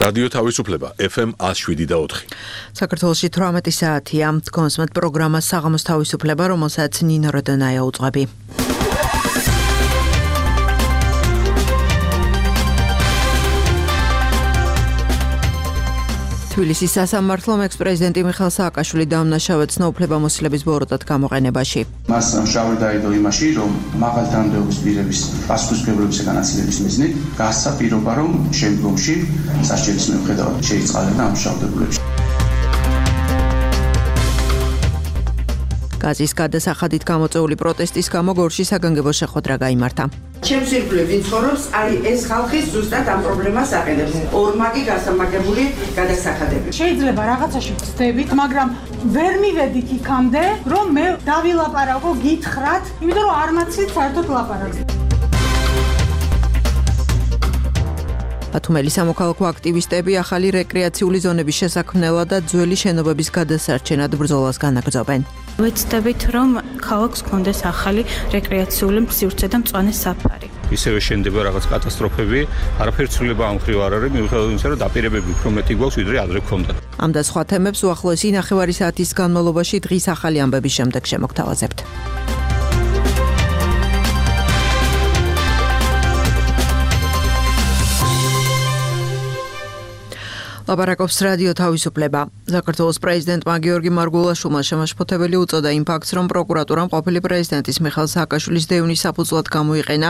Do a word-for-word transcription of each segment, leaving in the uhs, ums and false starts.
რადიო თავისუფლება ეფ ემ one oh seven და four. საქართველოში eighteen საათია. კონსმეთ პროგრამა საღამოს თავისუფლება, რომელსაც ნინო როდონაია უძღვები. თბილისის სასამართლომ ექს-პრეზიდენტი მიხეილ სააკაშვილი დაამნაშავეთ ცნობუფლებამოსილების ბოროტად გამოყენებაში. მას შავი დაიდო იმაში, რომ მაღალ თანამდებობის პირების პასუხისმგებლობის განაწილების მიზნით გასცა პირობა, რომ შემდგომში სასჯელის მიუხედავად შეიწყალება ამ შავდებულებში. გაზის გადასახადით გამოწვეული პროტესტის გამო გორში საგანგებო შეხვედრა გაიმართა. ჩემს ირგვლივ ვინ ცხოვრობს, არის ეს ხალხი ზუსტად ამ პრობლემას აყენებს. ორმაგი გასამაგებული გადასახადები. შეიძლება რაღაცაში ვწდებით, მაგრამ ვერ მივედით იქამდე, რომ მე დავილაპარაკო გითხრათ, იმიტომ რომ არ მაცილეთ საერთოდ ლაპარაკს. ბათუმელი სამოქალაქო აქტივისტები ახალი რეკრეაციული ზონების შესაქმნელად და ძველი შენობების გადასარჩენად ბრძოლას განაგრძობენ. ვეცდებით, რომ ქალაქს გქონდეს ახალი რეკრეაციული სივრცე და მწვანე საფარი. ისევე შენდება რაღაც კატასტროფები, არაფერი ცვლილება ამ მხრივ არ არის, მიუხედავად იმისა, რომ დაპირებები უფრო მეტი გვაქვს, ვიდრე ადრე გქონდა. ამ და სხვა თემებს უახლოესი ნახევარი საათის განმავლობაში დღის ახალი ამბების შემდეგ შემოგთავაზებთ. ლაპარაკობს რადიო თავისუფლება. საქართველოს პრეზიდენტმა გიორგი მარგულაშვილმა შემაშფოთებელი უწოდა იმ ფაქტს, რომ პროკურატურამ ყოფილი პრეზიდენტის მიხეილ სააკაშვილის დევნის საფუძვლად გამოიყენა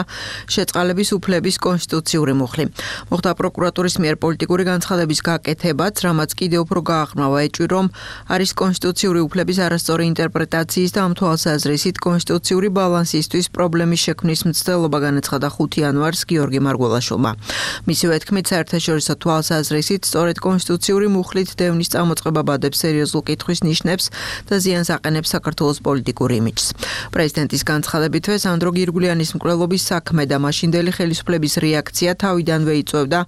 შეწყალების უფლების კონსტიტუციური მუხლი. მოხდა პროკურატურის მიერ პოლიტიკური განცხადების გაკეთებაც, რამაც კიდევ უფრო გააღრმავა ეჭვი, რომ არის კონსტიტუციური უფლების არასწორი ინტერპრეტაციის და ამ თვალსაზრისით კონსტიტუციური ბალანსისთვის პრობლემის შექმნის მცდელობა განაცხადა ხუთი იანვარს გიორგი მარგულაშვილმა. მისივე თქმით, საერთაშორისო თვალსაზრისით სწორედ კონსტიტუციური მუხლით დევნის წამოწყება ბადებს სერიოზულ კითხვის ნიშნებს და ზიანს აყენებს საქართველოს პოლიტიკურ იმიჯს. პრეზიდენტის განცხადებითვე სანდრო გირგვლიანის მკვლელობის საქმე და მაშინდელი ხელისუფლების რეაქცია თავიდანვე იწვევდა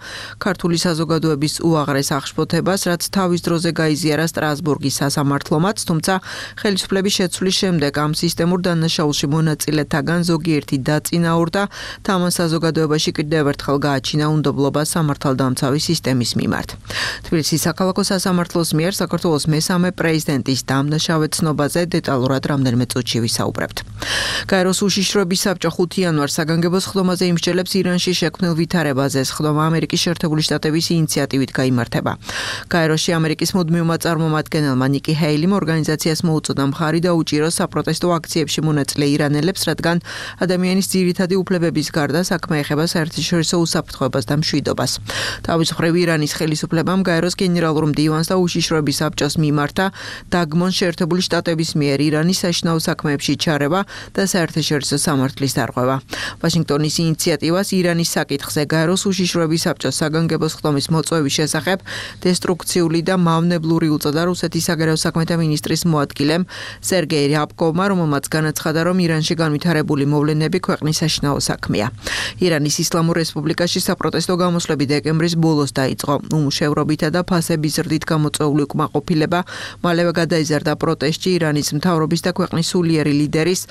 ქართული საზოგადოების უაღრეს აღშფოთებას, რაც თავის დროზე გაიზიარა სტრასბურგის სასამართლომაც, თუმცა ხელისუფლების შეცვლის შემდეგ ამ სისტემურ დანაშაულში მონაწილეთაგან ზოგიერთი დაწინაურდა და ამან საზოგადოებაში კიდევ ერთხელ გააჩინა უნდობლობა სამართალდამცავი სისტემის მიმართ. თბილისის საქალაქო სასამართლოს მიერ საქართველოს მესამე პრეზიდენტის დამნაშავედ ცნობაზე დეტალურად რამდენიმე წუთში ვისაუბრებთ. გაეროს უშიშროების საბჭო ხუთი იანვარს საგანგებო სხდომაზე იმსჯელებს ირანში შექმნილ ვითარებაზე. სხდომა ამერიკის შეერთებული შტატების ინიციატივით გაიმართება. გაეროში ამერიკის მუდმივმა წარმომადგენელმა ნიკი ჰეილიმ ორგანიზაციას მოუწოდა მხარი დაუჭიროს საპროტესტო აქციებში მონაწილე ირანელებს, რადგან ადამიანის ძირითადი უფლებების გარდა საქმე ეხება საერთაშორისო უსაფრთხოებას და მშვიდობას. თავის მხრივ ირანის ხელისუფლებამ გაეროს გენერალურ მდივანს და უშიშროების საბჭოს მიმართა დაგმონ შეერთებული შტატების მიერ ირანის საშინაო საქმეებში ჩარევა და საერთაშორისო სამართლის დარღვევა. ვაშინგტონის ინიციატივას ირანის საკითხზე გაეროს უშიშროების საბჭოს საგანგებო სხდომის მოწვევის შესახებ დესტრუქციული და მავნებლური უწოდა რუსეთის საგარეო საქმეთა მინისტრის მოადგილემ სერგეი რიაბკოვმა, რომელმაც განაცხადა, რომ ირანში განვითარებული მოვლენები ქვეყნის საშინაო საქმეა. ირანის ისლამურ რესპუბლიკაში საპროტესტო გამოსვლები დეკემბრის ბოლოს დაიწყო. უმუშევრობითა და ფასების ზრდით გამოწვეული უკმაყოფილება მალევე გადაიზარდა პროტესტში ირანის მთავრობის და ქვეყნის სულიერი ლიდერის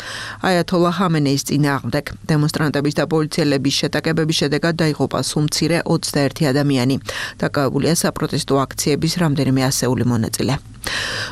აიათოლა ხამენეის წინააღმდეგ. დემონსტრანტების და პოლიციელების შეტაკებების შედეგად დაიღუპა სულ მცირე ოცდაერთი ადამიანი. დაკავებულია საპროტესტო აქციების რამდენიმე ასეული მონაწილე.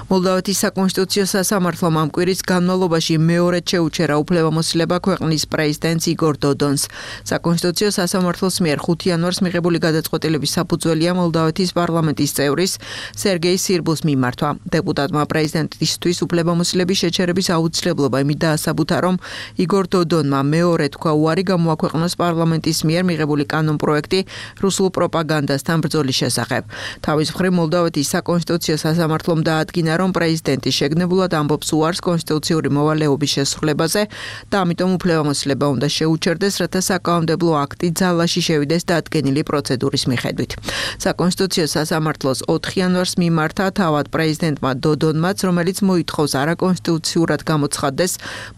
მოლდოვეთის საკონსტიტუციო სასამართლომ ამ კვირის განმავლობაში მეორედ შეუჩერა უფლებამოსილება ქვეყნის პრეზიდენტს იგორ დოდონს. საკონსტიტუციო სასამართლოს მიერ ხუთი იანვარს მიღებული გადაწყვეტილების საფუძველია მოლდოვეთის პარლამენტის წევრის სერგეი სირბუს მიმართვა. დეპუტატმა პრეზიდენტისთვის უფლებამოსილების შეჩერების აუცილებლობა იმით დაასაბუთა, რომ იგორ დოდონმა მეორე თქვა უარი გამოაქვეყნოს პარლამენტის მიერ მიღებული კანონპროექტი რუსულ პროპაგანდასთან ბრძოლის შესახებ. თავის მხრივ მოლდოვეთის საკონსტიტუციო სასამართლომ დაადგინა, რომ პრეზიდენტი შეგნებულად ამბობს უარს კონსტიტუციური მოვალეობის შესრულებაზე და ამიტომ უფლებამოსილება უნდა შეუჩერდეს, რათა საკანონმდებლო აქტი ძალაში შევიდეს დადგენილი პროცედურის მიხედვით. საკონსტიტუციო სასამართლოს ოთხი იანვარს მიმართა თავად პრეზიდენტმა დოდონმაც, რომელიც მოითხოვს არაკონსტიტუციურად გამოცხადდეს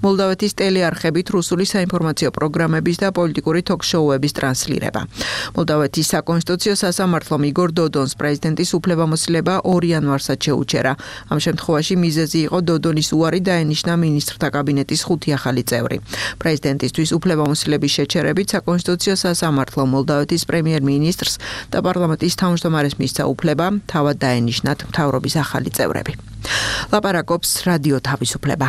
მოლდოვეთის ტელეარხებით რუსული საინფორმაციო პროგრამების და პოლიტიკური თოქ-შოუების ტრანსლირება. მოლდოვეთის საკონსტიტუციო სასამართლომ იგორ დოდონს პრეზიდენტის უფლებამოსილება ორი იანვარსაც შეუჩერდა. შეუჩერა. ამ შემთხვევაში მიზეზი იყო დოდონის უარი დაენიშნა მინისტრთა კაბინეტის ხუთი ახალი წევრი. პრეზიდენტისთვის უფლებამოსილების შეჩერებით საკონსტიტუციო სასამართლო მოლდოვეთის პრემიერ-მინისტრს და პარლამენტის თავმჯდომარეს საქართველოს მისცა უფლება თავად დაენიშნათ მთავრობის ახალი წევრები. ლაპარაკობს რადიო თავისუფლება.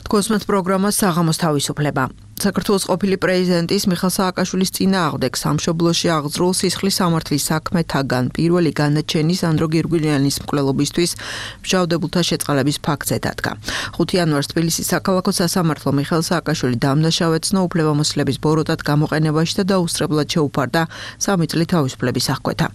კოსმოს პროგრამა საღამოს თავისუფლება. საქართველოს ყოფილი პრეზიდენტის მიხეილ სააკაშვილის წინააღმდეგ სამშობლოში აღძრულ სისხლის სამართლის საქმეთაგან პირველი განაჩენი სანდრო გირგვლიანის მკვლელობისთვის მჟავდებულთა შეწყალების ფაქტზე დადგა. ხუთი იანვარს თბილისის საქალაქო სასამართლო მიხეილ სააკაშვილი დამნაშავეცნო უფლებამოსილების ბოროტად გამოყენებაში და დაუსწრებლად შეუფარდა სამი წლით თავისუფლების აღკვეთა.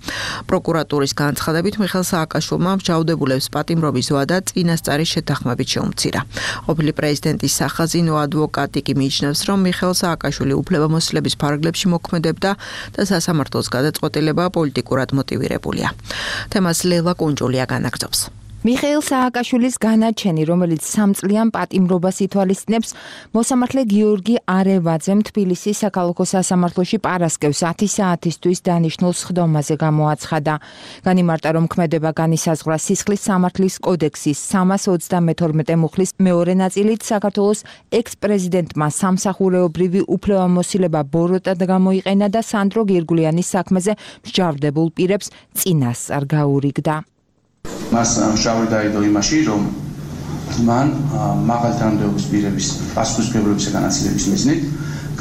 პროკურატურის განცხადებით მიხეილ სააკაშვილმა მჟავდებულებს პატიმრობის ვადა წინასწარი შეთანხმებით შეუმცირა. ყოფილი პრეზიდენტის სახაზინო ადვოკატი კი მიიჩნევს, რომ მიხეილ სააკაშვილი უფლებამოსილების ფარგლებში მოქმედებდა და სასამართლოს გადაწყვეტილება პოლიტიკურად მოტივირებულია. თემას ლელა კუნჯულია განაგრძობს. მიხეილ სააკაშვილის განაჩენი, რომელიც სამწლიან პატიმრობას ითვალისწინებს, მოსამართლე გიორგი არევაძემ თბილისის საქალაქო სასამართლოში პარასკევს ათი საათისთვის დანიშნულ სხდომაზე გამოაცხადა. განიმარტა, რომ ქმედება განისაზღვრა სისხლის სამართლის კოდექსის სამას ოცდამეთორმეტე მუხლის მეორე ნაწილით საქართველოს ექს-პრეზიდენტმა სამსახურეობრივი უფლებამოსილება ბოროტად გამოიყენა და სანდრო გირგვლიანის საქმეზე მსჯავრდებულ პირებს წინასწარ გაურიგდა. მას შავი დაიდო იმაში, რომ მან მაღალ თანამდებობის პირების პასუხისმგებლობის განაწილების მიზნით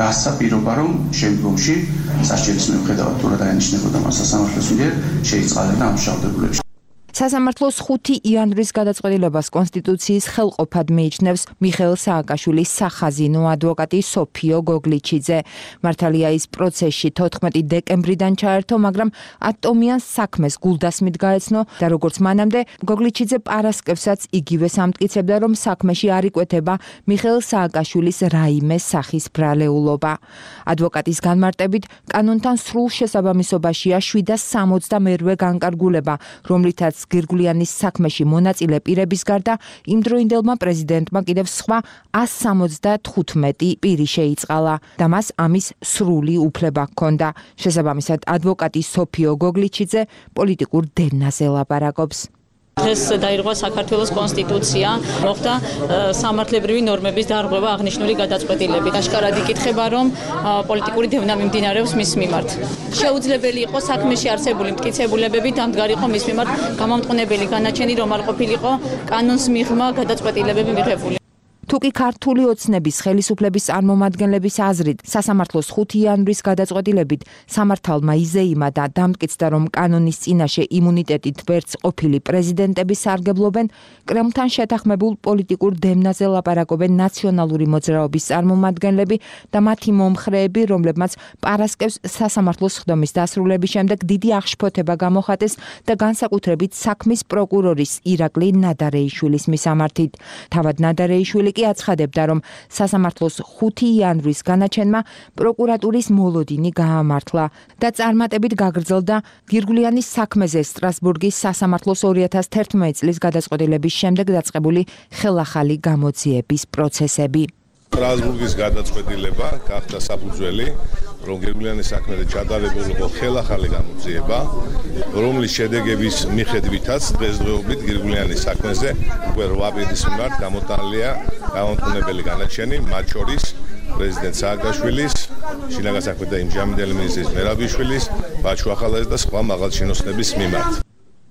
გასცა პირობა, რომ შემდგომში სასჯელის მიუხედავად თუ რა დაენიშნებოდა მას სასამართლოს მიერ შეიწყალებდა ამ მჟავდებულებში. სასამართლოს ხუთი იანვრის გადაწყვეტილებას კონსტიტუციის ხელყოფად მიიჩნევს მიხეილ სააკაშვილის სახაზინო ადვოკატი სოფიო გოგლიჩიძე. მართალია ის პროცესში თოთხმეტი დეკემბრიდან ჩაერთო, მაგრამ ატომიან საქმეს გულდასმით გაეცნო და როგორც მანამდე გოგლიჩიძე პარასკევსაც იგივეს ამტკიცებდა, რომ საქმეში არ იკვეთება მიხეილ სააკაშვილის რაიმე სახის ბრალეულობა. ადვოკატის განმარტებით, კანონთან სრულ შესაბამისობაშია შვიდას სამოცდამერვე განკარგულება, რომლითაც გირგვლიანის საქმეში მონაწილე პირების გარდა იმდროინდელმა პრეზიდენტმა კიდევ სხვა ას სამოცდათხუთმეტი პირი შეიწყალა და მას ამის სრული უფლება ჰქონდა. შესაბამისად, ადვოკატი სოფიო გოგლიჩიძე პოლიტიკურ დევნაზე ლაპარაკობს. დღეს დაირღვა საქართველოს კონსტიტუცია, მოხდა სამართლებრივი ნორმების დარღვევა აღნიშნული გადაწყვეტილებით. აშკარად იკითხება, რომ პოლიტიკური დევნა მიმდინარეობს მის მიმართ. შეუძლებელი იყო საქმეში არსებული მტკიცებულებები დამდგარიყო მის მიმართ გამამტყუნებელი განაჩენი, რომ არ ყოფილიყო კანონს მიღმა გადაწყვეტილებები მიღებული. თუკი ქართული ოცნების ხელისუფლების წარმომადგენლების აზრით სასამართლოს ხუთი იანვრის გადაწყვეტილებით სამართალმა იზეიმა და დამტკიცდა, რომ კანონის წინაშე იმუნიტეტით ვერც ყოფილი პრეზიდენტები სარგებლობენ, კრემლთან შეთანხმებულ პოლიტიკურ დევნაზე ლაპარაკობენ ნაციონალური მოძრაობის წარმომადგენლები და მათი მომხრეები, რომლებმაც პარასკევს სასამართლოს სხდომის დასრულების შემდეგ დიდი აღშფოთება გამოხატეს და განსაკუთრებით საქმის პროკურორის ირაკლი ნადარეიშვილის მისამართით. თავად ნადარეიშვილი აცხადებდა, რომ სასამართლოს ხუთი იანვრის განაჩენმა პროკურატურის მოლოდინი გაამართლა და წარმატებით გაგრძელდა გირგვლიანის საქმეზე სტრასბურგის სასამართლოს ორი ათას თერთმეტი წლის გადაწყვეტილების შემდეგ დაწყებული ხელახალი გამოძიების პროცესები. სტრასბურგის გადაწყვეტილება გახდა საფუძველი, რომ გირგვლიანის საქმეზე ჩატარებულიყო ხელახალი გამოძიება, რომლის შედეგების მიხედვითაც დღესდღეობით გირგვლიანის საქმეზე უკვე რვა პირის მიმართ გამოტანილია გამამტყუნებელი განაჩენი, მათ შორის პრეზიდენტ სააკაშვილის, შინაგან საქმეთა იმჟამინდელი მინისტრის მერაბიშვილის, ბაჩუ ახალაძის და სხვა მაღალჩინოსნების მიმართ.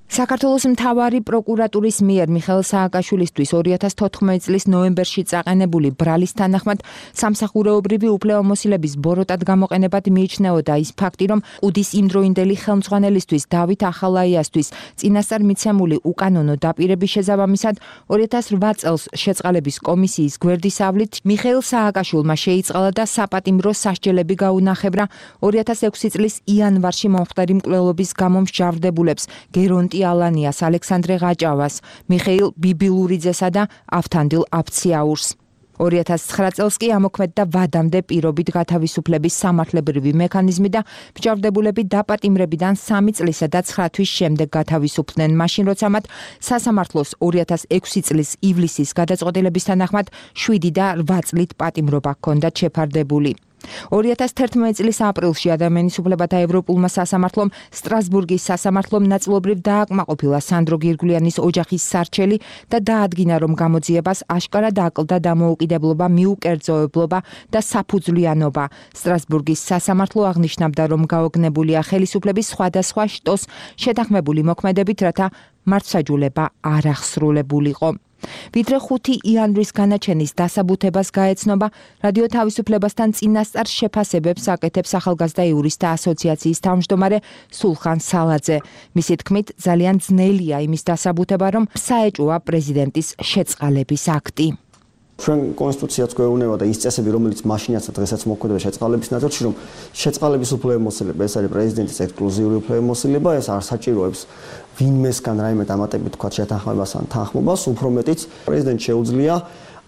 საქართველოს მთავარი პროკურატურის მიერ მიხეილ სააკაშვილისთვის ორი ათას თოთხმეტი წლის ნოემბერში წაყენებული ბრალის თანახმად სამსახურეობრივი უფლებამოსილების ბოროტად გამოყენებად მიიჩნეოდა ის ფაქტი, რომ ყუდის იმდროინდელი ხელმძღვანელისთვის დავით ახალაიასთვის წინასწარ მიცემული უკანონო დაპირების შესაბამისად ორი ათას რვა წელს შეწყალების კომისიის გვერდისავლით მიხეილ სააკაშვილმა შეიწყალა და საპატიმრო სასჯელები გაუნახებრა ორი ათას ექვსი წლის იანვარში მომხდარი მკვლელობის გამო მსჯავრდებულებს გერონტი ალანიას, ალექსანდრე ღაჭავას, მიხეილ ბიბილურიძესა და ავთანდილ აფციაურს. ორი ათას ცხრა წელს კი ამოქმედდა ვადამდე პირობით გათავისუფლების სამართლებრივი მექანიზმი და მსჯავრდებულები დაპატიმრებიდან სამი წლისა და ცხრა თვის შემდეგ გათავისუფლდნენ, მაშინ როცა მათ სასამართლოს ორი ათას ექვსი წლის ივლისის გადაწყვეტილების თანახმად შვიდი და რვა წლით პატიმრობა ჰქონდათ შეფარდებული. ორი ათას თერთმეტი წლის აპრილში ადამიანის უფლებათა ევროპულმა სასამართლომ სტრასბურგის სასამართლომ ნაწილობრივ დააკმაყოფილა სანდრო გირგულიანის ოჯახის სარჩელი და დაადგინა, რომ გამოძიებას აშკარად აკლდა დამოუკიდებლობა, მიუკერძოებლობა და საფუძვლიანობა. სტრასბურგის სასამართლო აღნიშნავდა, რომ გაოგნებულია ხელისუფლების სხვადასხვა შტოს შეთანხმებული მოქმედებით, რათა მართლმსაჯულება არ აღსრულებულიყო. ვიდრე ხუთი იანვრის განაჩენის დასაბუთებას გაეცნობა, რადიო თავისუფლებასთან წინასწარ შეფასებებს აკეთებს ახალგაზრდა იურისტთა ასოციაციის თავმჯდომარე სულხან სალაძე. მისი თქმით, ძალიან ძნელია იმის დასაბუთება, რომ საეჭვოა პრეზიდენტის შეწყალების აქტი. ჩვენ კონსტიტუციაც გვეუბნება და ის წესები, რომელიც მაშინაც და დღესაც მოქმედდება შეწყალების ნაწილში, რომ შეწყალების უფლებამოსილება, ეს არის პრეზიდენტის ექსკლუზიური უფლებამოსილება, ეს არ საჭიროებს ვინმესგან რაიმე დამატებით თქვა შეთანხმებას ან თანხმობას, უფრო მეტიც პრეზიდენტს შეუძლია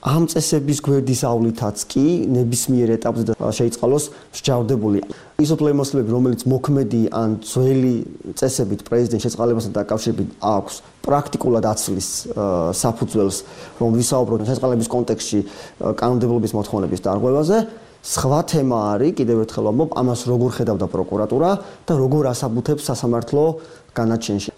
ამ წესების გვერდის ავლითაც კი ნებისმიერ ეტაპზე შეიწყალოს მსჯავრდებული. ის უფლებამოსილებები, რომელიც მოქმედი ან ძველი წესებით პრეზიდენტის შეწყალებასთან დაკავშირებით აქვს, პრაქტიკულად აცლის საფუძველს, რომ ვისაუბროთ შეწყალების კონტექსტში კანონმდებლობის მოთხოვნების დარღვევაზე. სხვა თემა არის, კიდევ ერთხელ ვამბობ, ამას როგორ ხედავდა პროკურატურა და როგორ ასაბუთებს სასამართლო განაჩენში.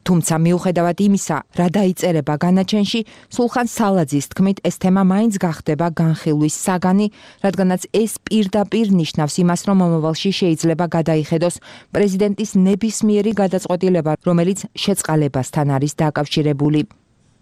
თუმცა მიუხედავად იმისა, რა დაიწერება განაჩენში, სულხან სალაძის თქმით, ეს თემა მაინც გახდება განხილვის საგანი, რადგანაც ეს პირდაპირ ნიშნავს იმას, რომ მომავალში შეიძლება გადაიხედოს პრეზიდენტის ნებისმიერი გადაწყვეტილება, რომელიც შეწყალებასთან არის დაკავშირებული.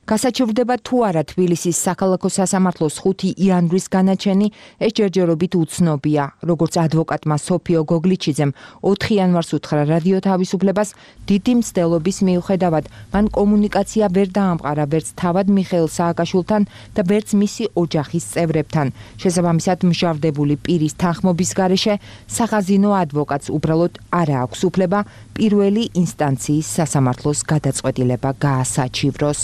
გასაჩივრდება თუ არა თბილისის საქალაქო სასამართლოს ხუთი იანვრის განაჩენი, ეს ჯერჯერობით უცნობია. როგორც ადვოკატმა სოფიო გოგლიჩიძემ ოთხი იანვარს უთხრა რადიო თავისუფლებას, დიდი მცდელობის მიუხედავად, მან კომუნიკაცია ვერ დაამყარა ვერც თავად მიხეილ სააკაშვილთან და ვერც მისი ოჯახის წევრებთან. შესაბამისად, მჟავდებული პირის თანხმობის გარეშე სახაზინო ადვოკატს უბრალოდ არ აქვს უფლება პირველი ინსტანციის სასამართლოს გადაწყვეტილება გაასაჩივროს.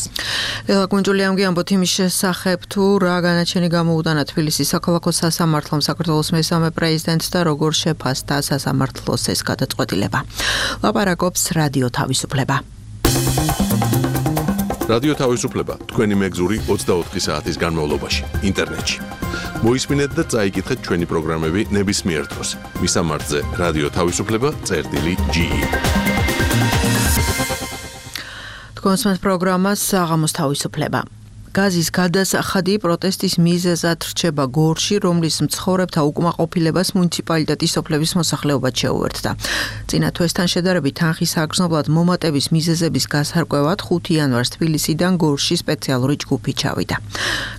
ელა გუნჯული ამგიამბოთ იმის შესახებ, თუ რა განაჩენი გამოუტანა თბილისის საქალაქო სასამართლომ საქართველოს მესამე პრეზიდენტს და როგორ შეფასდა სასამართლოს ეს გადაწყვეტილება. ლაპარაკობს რადიო თავისუფლება. რადიო თავისუფლება თქვენი მეგზური ოცდაოთხი საათის განმავლობაში ინტერნეტში. მოისმინეთ და წაიკითხეთ ჩვენი პროგრამები ნებისმიერ დროს. მისამართზე რადიო თავისუფლება წერტილი ჯი ი. კონსმენთ პროგრამას საღამოს თავისუფლება. გაზის გადასახადი პროტესტის მიზეზად რჩება გორში, რომლის მცხოვრებთა უკმაყოფილებას მუნიციპალიტეტის სოფლების მოსახლეობაც შეუერთდა. წინა თვესთან შედარებით თანხის აგრძნობლად მომატების მიზეზების გასარკვევად ხუთი იანვარს თბილისიდან გორში სპეციალური ჯგუფი ჩავიდა.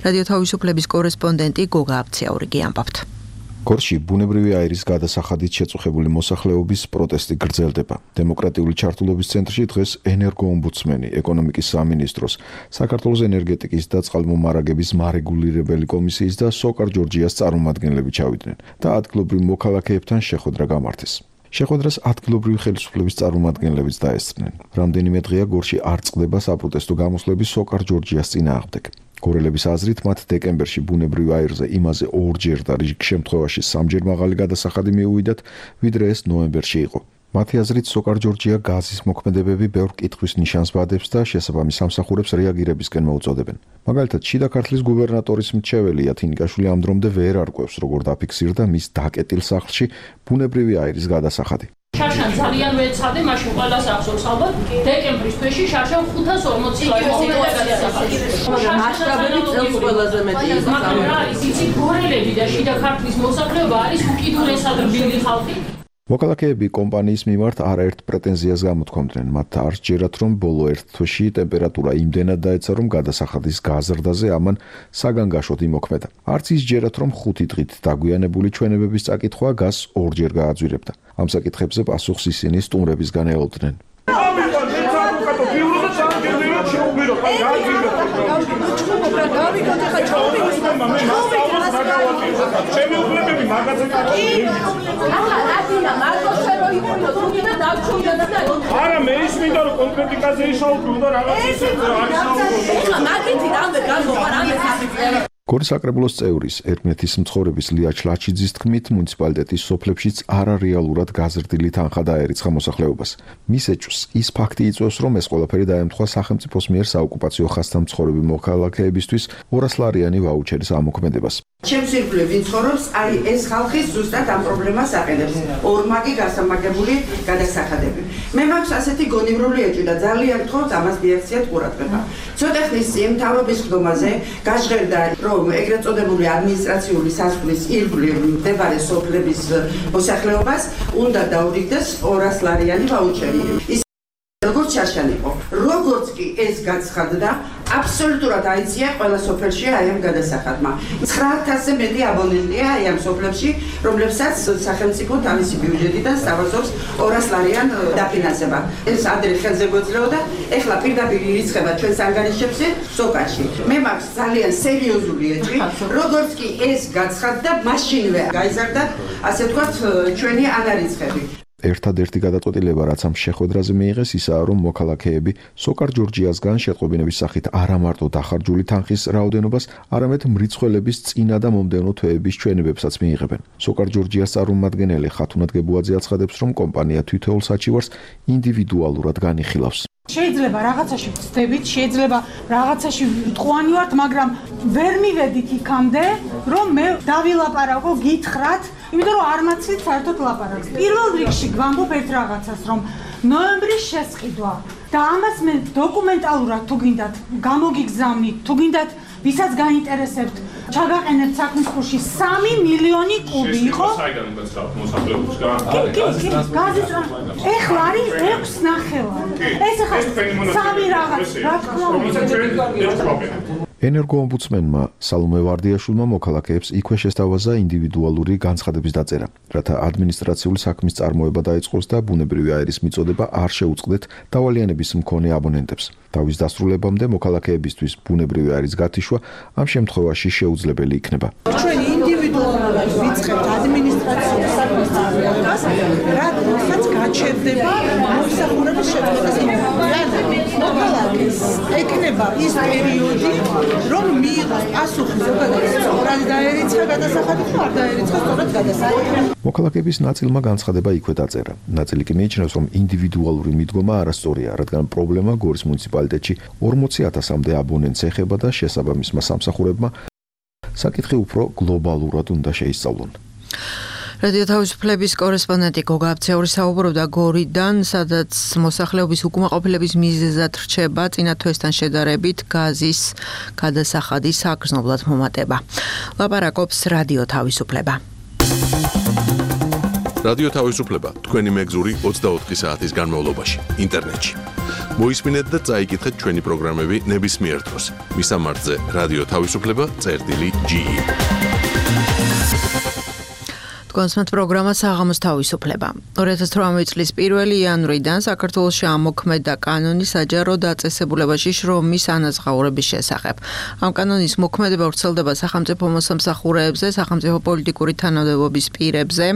რადიო თავისუფლების კორესპონდენტი გოგა აბციაურიგი ამბობთ. გორში ბუნებრივი აირის გადასახადით შეწუხებული მოსახლეობის პროტესტი გრძელდება. დემოკრატიული ჩართულობის ცენტრში დღეს ენერგოომბუდსმენი, ეკონომიკის სამინისტროს, საქართველოს ენერგეტიკის და წყალმომარაგების მარეგულირებელი კომისიის და სოკარ ჯორჯიას წარმომადგენლები ჩავიდნენ და ადგილობრივ მოქალაქეებთან შეხვედრა გამართეს. შეხვედრას ადგილობრივი ხელისუფლების წარმომადგენლებიც დაესწრნენ. რამდენიმე დღეა გორში არ წყდება საპროტესტო გამოსვლები სოკარ ჯორჯიას წინააღმდეგ. გორელების აზრით, მათ დეკემბერში ბუნებრივ აირზე იმაზე ორჯერ და რიგ შემთხვევაში სამჯერ მაღალი გადასახადი მიუვიდათ, ვიდრე ეს ნოემბერში იყო. მათი აზრით, სოკარ ჯორჯია გაზის მოქმედებები ბევრ კითხვის ნიშანს ვადებს და შესაბამის სამსახურებს რეაგირებისკენ მოუწოდებენ. მაგალითად, შიდა ქართლის გუბერნატორის მრჩეველი ათინიკაშვილი ამ დრომდე ვერ არკვევს, როგორ დაფიქსირდა მის დაკეტილ სახლში ბუნებრივი აირის გადასახადი. შარშან ძალიან ვეცადე, მაშინ ყველას ახსოვს ალბათ, დეკემბრის თვეში შარშან ხუთას ორმოცი მასშტაბები წელს ყველაზე მეტია. მაგრამ რა არის, იცი გორელები და შიდა ქართლის მოსახლეობა არის უკიდურესად რბილი ხალხი. მოქალაქეები კომპანიის მიმართ არაერთ პრეტენზიას გამოთქვამდნენ. მათ არ სჯერათ, რომ ბოლო ერთ თვეში ტემპერატურა იმდენად დაეცა, რომ გადასახადის გაზრდაზე ამან საგანგაშოდ იმოქმედა. არც ის სჯერათ, რომ ხუთი დღით დაგვიანებული ჩვენებების წაკითხვა გაზს ორჯერ გააძვირებდა. ამ საკითხებზე პასუხს ისინი სტუმრებისგან ელოდნენ. ჩემი უფლებები მაგაზე არა მე ის მინდა რომ კონკრეტიკაზე ისაუბრო და რაღაც ისე არის საუბრო. გორის საკრებულოს წევრის ერთმეტის მცხოვრების ლია ჩლაჩიძის თქმით, მუნიციპალიტეტის სოფლებშიც არარეალურად გაზრდილი თანხა დაერიცხა მოსახლეობას. მის ეჭვს ის ფაქტი იწვევს, რომ ეს ყველაფერი დაემთხვა სახელმწიფოს მიერ საოკუპაციო ხაზთან მცხოვრები მოქალაქეებისთვის ორასლარიანი ვაუჩერის ამოქმედებას. ჩემს ირგვლივ ვინც ცხოვრობს, არის ეს ხალხი ზუსტად ამ პრობლემას აყენებს. ორმაგი გასამაგებული გადასახადები. მე მაქვს ასეთი გონივრული ეჭვი და ძალიან გთხოვთ ამას მიაქციათ ყურადღება. ცოტა ხნის წინ მთავრობის ხდომაზე გაჟღერდა, რომ ეგრეთ წოდებული ადმინისტრაციული სასწავლებლის ირგვლივ მდებარე სოფლების მოსახლეობას უნდა დაურიგდეს ორას ლარიანი ვაუჩერი. როგორც ჩაშალიყო, როგორც კი ეს გაცხადდა, აბსოლუტურად აიწია ყველა სოფელში აი ამ გადასახადმა. ცხრა ათასზე მეტი აბონენტია აი ამ სოფლებში, რომლებსაც სახელმწიფო თავისი ბიუჯეტიდან სთავაზობს ორას ლარიან დაფინანსება. ეს ადრე ხელზე გვეძლეოდა, ეხლა პირდაპირ ირიცხება ჩვენს ანგარიშებზე სოკაში. მე მაქვს ძალიან სერიოზული ეჭვი, როგორც კი ეს გაცხადდა, მაშინვე გაიზარდა, ასე ვთქვათ, ჩვენი ანარიცხები. ერთადერთი გადაწყვეტილება, რაც ამ შეხვედრაზე მიიღეს, ისაა, რომ მოქალაქეები სოკარ ჯორჯიასგან შეტყობინების სახით არა მარტო დახარჯული თანხის რაოდენობას, არამედ მრიცხველების წინა და მომდევნო თვეების ჩვენებებსაც მიიღებენ. სოკარ ჯორჯიას წარმომადგენელი ხათუნად გებუაძე აცხადებს, რომ კომპანია თითოეულ საჩივარს ინდივიდუალურად განიხილავს. შეიძლება რაღაცაში ვწდებით, შეიძლება რაღაცაში ვიტყვანი ვართ, მაგრამ ვერ მივედით იქამდე, რომ მე დავილაპარაკო, გითხრათ, იმიტომ რომ არ მაცლით საერთოდ ლაპარაკს. პირველ რიგში გვამბობ ერთ რაღაცას, რომ ნოემბრის შესყიდვა და ამას მე დოკუმენტალურად თუ გინდათ გამოგიგზავნით, თუ გინდათ ვისაც გაინტერესებთ, ჩაგაყენებთ საქმის ხურში სამი მილიონი კუბი იყო. საიდან გაცრავთ მოსახლეობისგან? გაზის ეხლა არის ექვს ნახევარი. ეს ახლა სამი რაღაც, რა თქმა უნდა. ენერგოომბუდსმენმა სალომე ვარდიაშვილმა მოქალაქეებს იქვე შესთავაზა ინდივიდუალური განცხადების დაწერა, რათა ადმინისტრაციული საქმის წარმოება დაიწყოს და ბუნებრივი აირის მიწოდება არ შეუწყდეთ დავალიანების მქონე აბონენტებს. თავის დასრულებამდე მოქალაქეებისთვის ბუნებრივი აირის გათიშვა ამ შემთხვევაში შეუძლებელი იქნება. ჩვენ ინდივიდუალურად ვიწყებთ ადმინისტრაციული საქმის წარმოებას, რადგანაც გაჩერდება მომსახურების შეწყვეტას. მოქალაქეს ეკნება ის პერიოდი, რომ მიიღოს პასუხი ზოგადად სწორად დაერიცხა გადასახადი თუ არ დაერიცხა სწორად გადასახადი. მოქალაქეების ნაწილმა განცხადება იქვე დაწერა. ნაწილი კი მიიჩნევს, რომ ინდივიდუალური მიდგომა არასწორია, რადგან პრობლემა გორის მუნიციპალიტეტში ორმოცი ათასამდე აბონენტს ეხება და შესაბამისმა სამსახურებმა საკითხი უფრო გლობალურად უნდა შეისწავლონ. რადიო თავისუფლების კორესპონდენტი გოგა აბცეური საუბრობდა გორიდან, სადაც მოსახლეობის უკმაყოფილების მიზეზად რჩება წინა თვესთან შედარებით გაზის გადასახადის საგრძნობლად მომატება. ლაპარაკობს რადიო თავისუფლება. რადიო თავისუფლება თქვენი მეგზური ოცდაოთხი საათის განმავლობაში ინტერნეტში. მოისმინეთ და წაიკითხეთ ჩვენი პროგრამები ნებისმიერ დროს. მისამართზე რადიო თავისუფლება წერტილი ჯი ი. კონსმეთ პროგრამა საღამოს თავისუფლება. ორი ათას თვრამეტი წლის პირველი იანვრიდან საქართველოში ამოქმედა კანონი საჯარო დაწესებულებაში შრომის ანაზღაურების შესახებ. ამ კანონის მოქმედება ვრცელდება სახელმწიფო მოსამსახურეებზე, სახელმწიფო პოლიტიკური თანამდებობის პირებზე,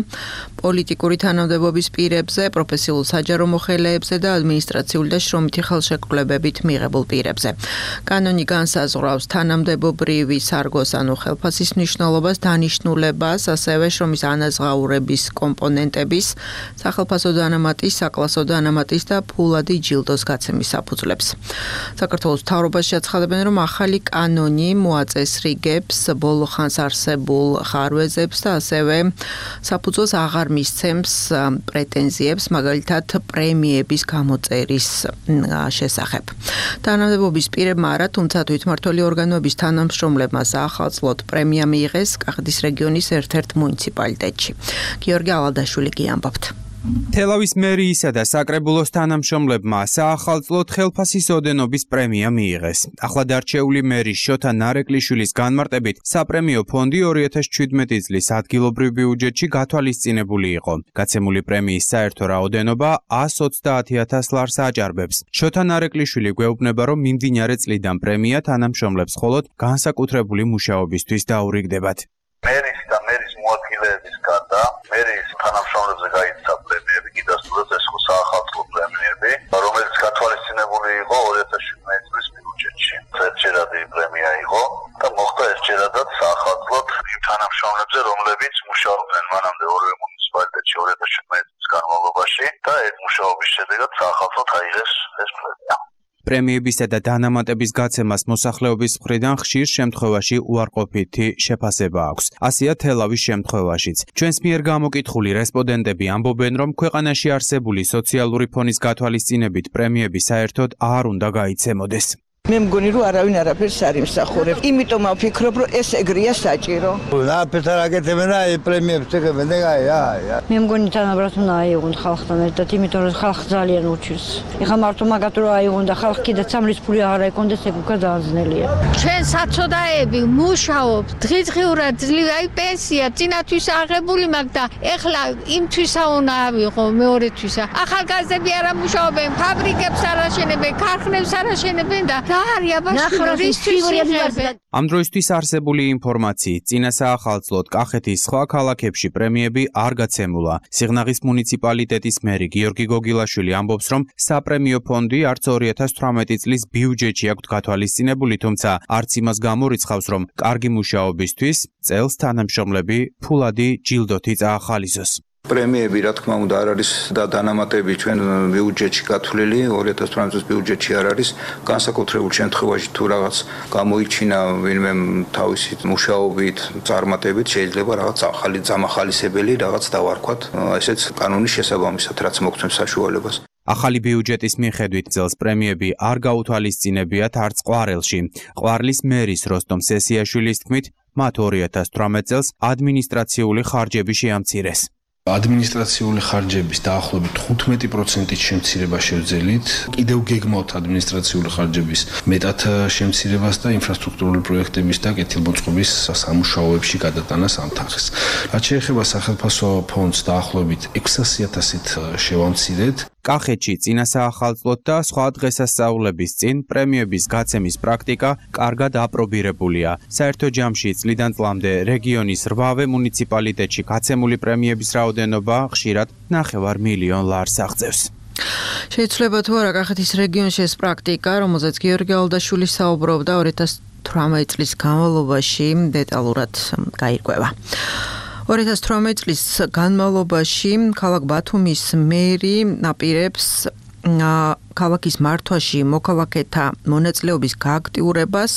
პოლიტიკური თანამდებობის პირებზე, პროფესიულ საჯარო მოხელეებზე და ადმინისტრაციული და შრომითი ხელშეკრულებებით მიღებულ პირებზე. კანონი განსაზღვრავს თანამდებობრივი სარგოს ანუ ხელფასის მნიშვნელობას, დანიშნულებას, ასევე შრომის ანაზღაურების კომპონენტების, სახელფასო დანამატის, საკლასო დანამატის და ფულადი ჯილდოს გაცემის საფუძვლებს. საქართველოს მთავრობაში აცხადებენ, რომ ახალი კანონი მოაწესრიგებს ბოლო ხანს არსებულ ხარვეზებს და ასევე საფუძველს აღარ მისცემს პრეტენზიებს, მაგალითად პრემიების გამოწერის შესახებ. თანამდებობის პირებმა არა, თუმცა თვითმმართველი ორგანოების თანამშრომლებმა საახალწლოდ პრემია მიიღეს კახეთის რეგიონის ერთ-ერთ მუნიციპალიტეტში. გიორგი ალადაშვილი გიამბობთ. თელავის მერიისა და საკრებულოს თანამშრომლებმა საახალწლოდ ხელფასის ოდენობის პრემია მიიღეს. ახლად არჩეული მერი შოთა ნარეკლიშვილის განმარტებით საპრემიო ფონდი ორი ათას ჩვიდმეტი წლის ადგილობრივ ბიუჯეტში გათვალისწინებული იყო. გაცემული პრემიის საერთო რაოდენობა ას ოცდაათი ათას ლარს აჭარბებს. შოთა ნარეკლიშვილი გვეუბნება, რომ მიმდინარე წლიდან პრემია თანამშრომლებს მხოლოდ განსაკუთრებული მუშაობისთვის დაურიგდებათ. მერის და მერის მოადგილეების გარდა მერის თანამშრომლებზე გაიცა პრემიები, კიდასტურად ეს ხო საახალწლო პრემიები, რომელიც გათვალისწინებული იყო ორი ათას შვიდმეტი წლის ბიუჯეტში. ერთჯერადი პრემია იყო და მოხდა ერთჯერადად საახალწლოდ იმ თანამშრომლებზე, რომლებიც მუშაობდნენ მანამდე ორივე მუნიციპალიტეტში ორი ათას შვიდმეტი წლის განმავლობაში და ეს მუშაობის შედეგად საახალწლოდ აიღეს ეს პრემია. პრემიებისა და დანამატების გაცემას მოსახლეობის მხრიდან ხშირ შემთხვევაში უარყოფითი შეფასება აქვს. ასეა თელავის შემთხვევაშიც. ჩვენს მიერ გამოკითხული რესპონდენტები ამბობენ, რომ ქვეყანაში არსებული სოციალური ფონის გათვალისწინებით პრემიები საერთოდ არ უნდა გაიცემოდეს. მე მგონი რომ არავინ არაფერს არ იმსახურებს. იმიტომ ვფიქრობ რომ ეს ეგრეა საჭირო. რა ფეთარ აკეთებენ რა პრემიებს ეკებენ და აი. მე მგონი თანაბრად უნდა აიღონ ხალხთან ერთად, იმიტომ რომ ხალხ ძალიან უჩვენს. ეხლა მარტო მაგათ რომ აიღონ და ხალხ კიდე სამრის ფული აღარ ეკონდეს, ეგ უკვე დაძნელია. ჩვენ საცოდაები მუშაობ, დღისღიურად ძლივ აი პენსია წინათვის აღებული მაგ და ეხლა იმთვისა უნდა ავიღო მეორეთვისა. ახალგაზრდები არ ამუშაობენ, ფაბრიკებს არ აშენებენ, ქარხნებს არ აშენებენ და ამ დროისთვის არსებული ინფორმაციით წინა საახალწლოდ კახეთის სხვა ქალაქებში პრემიები არ გაცემულა. სიღნაღის მუნიციპალიტეტის მერი გიორგი გოგილაშვილი ამბობს, რომ საპრემიო ფონდი არც ორი ათას თვრამეტი წლის ბიუჯეტში აქვს გათვალისწინებული, თუმცა არც იმას გამორიცხავს, რომ კარგი მუშაობისთვის წელს თანამშრომლები ფულადი ჯილდოთი წაახალისოს. პრემიები, რა თქმა უნდა, არ არის და დანამატები ჩვენ ბიუჯეტში გათვლილი, ორი ათას თვრამეტი წლის ბიუჯეტში არ არის. განსაკუთრებულ შემთხვევაში თუ რაღაც გამოიჩინა ვინმე თავისი მუშაობით, წარმატებით, შეიძლება რაღაც ახალი ძამახალისებელი რაღაც დავარქვათ, ესეც კანონის შესაბამისად, რაც მოგცემს საშუალებას. ახალი ბიუჯეტის მიხედვით წელს პრემიები არ გაუთვალისწინებიათ არც ყვარელში. ყვარლის მერის როსტომ სესიაშვილის თქმით, მათ ორი ათას თვრამეტი წელს ადმინისტრაციული ხარჯები შეამცირეს. ადმინისტრაციული ხარჯების დაახლოებით თხუთმეტი პროცენტით შემცირება შევძელით. კიდევ გეგმავთ ადმინისტრაციული ხარჯების მეტად შემცირებას და ინფრასტრუქტურული პროექტების და კეთილმოწყობის სამუშაოებში გადატანას ამ თანხის. რაც შეეხება სახელმწიფო ფონდს დაახლოებით ექვსასი ათასით შევამცირეთ. კახეთში წინა საახალწლოდ და სხვა დღესასწაულების წინ პრემიების გაცემის პრაქტიკა კარგად აპრობირებულია. საერთო ჯამში წლიდან წლამდე რეგიონის რვავე მუნიციპალიტეტში გაცემული პრემიების რაოდენობა ხშირად ნახევარ მილიონ ლარს აღწევს. შეიძლება თუ არა კახეთის რეგიონში ეს პრაქტიკა, რომელზეც გიორგი ალდაშვილი საუბრობდა ორი ათას თვრამეტი წლის განმავლობაში, დეტალურად გაირკვევა. ორი ათას თვრამეტი წლის განმავლობაში ქალაქ ბათუმის მერი აპირებს ქალაქის მართვაში მოქალაქეთა მონაწილეობის გააქტიურებას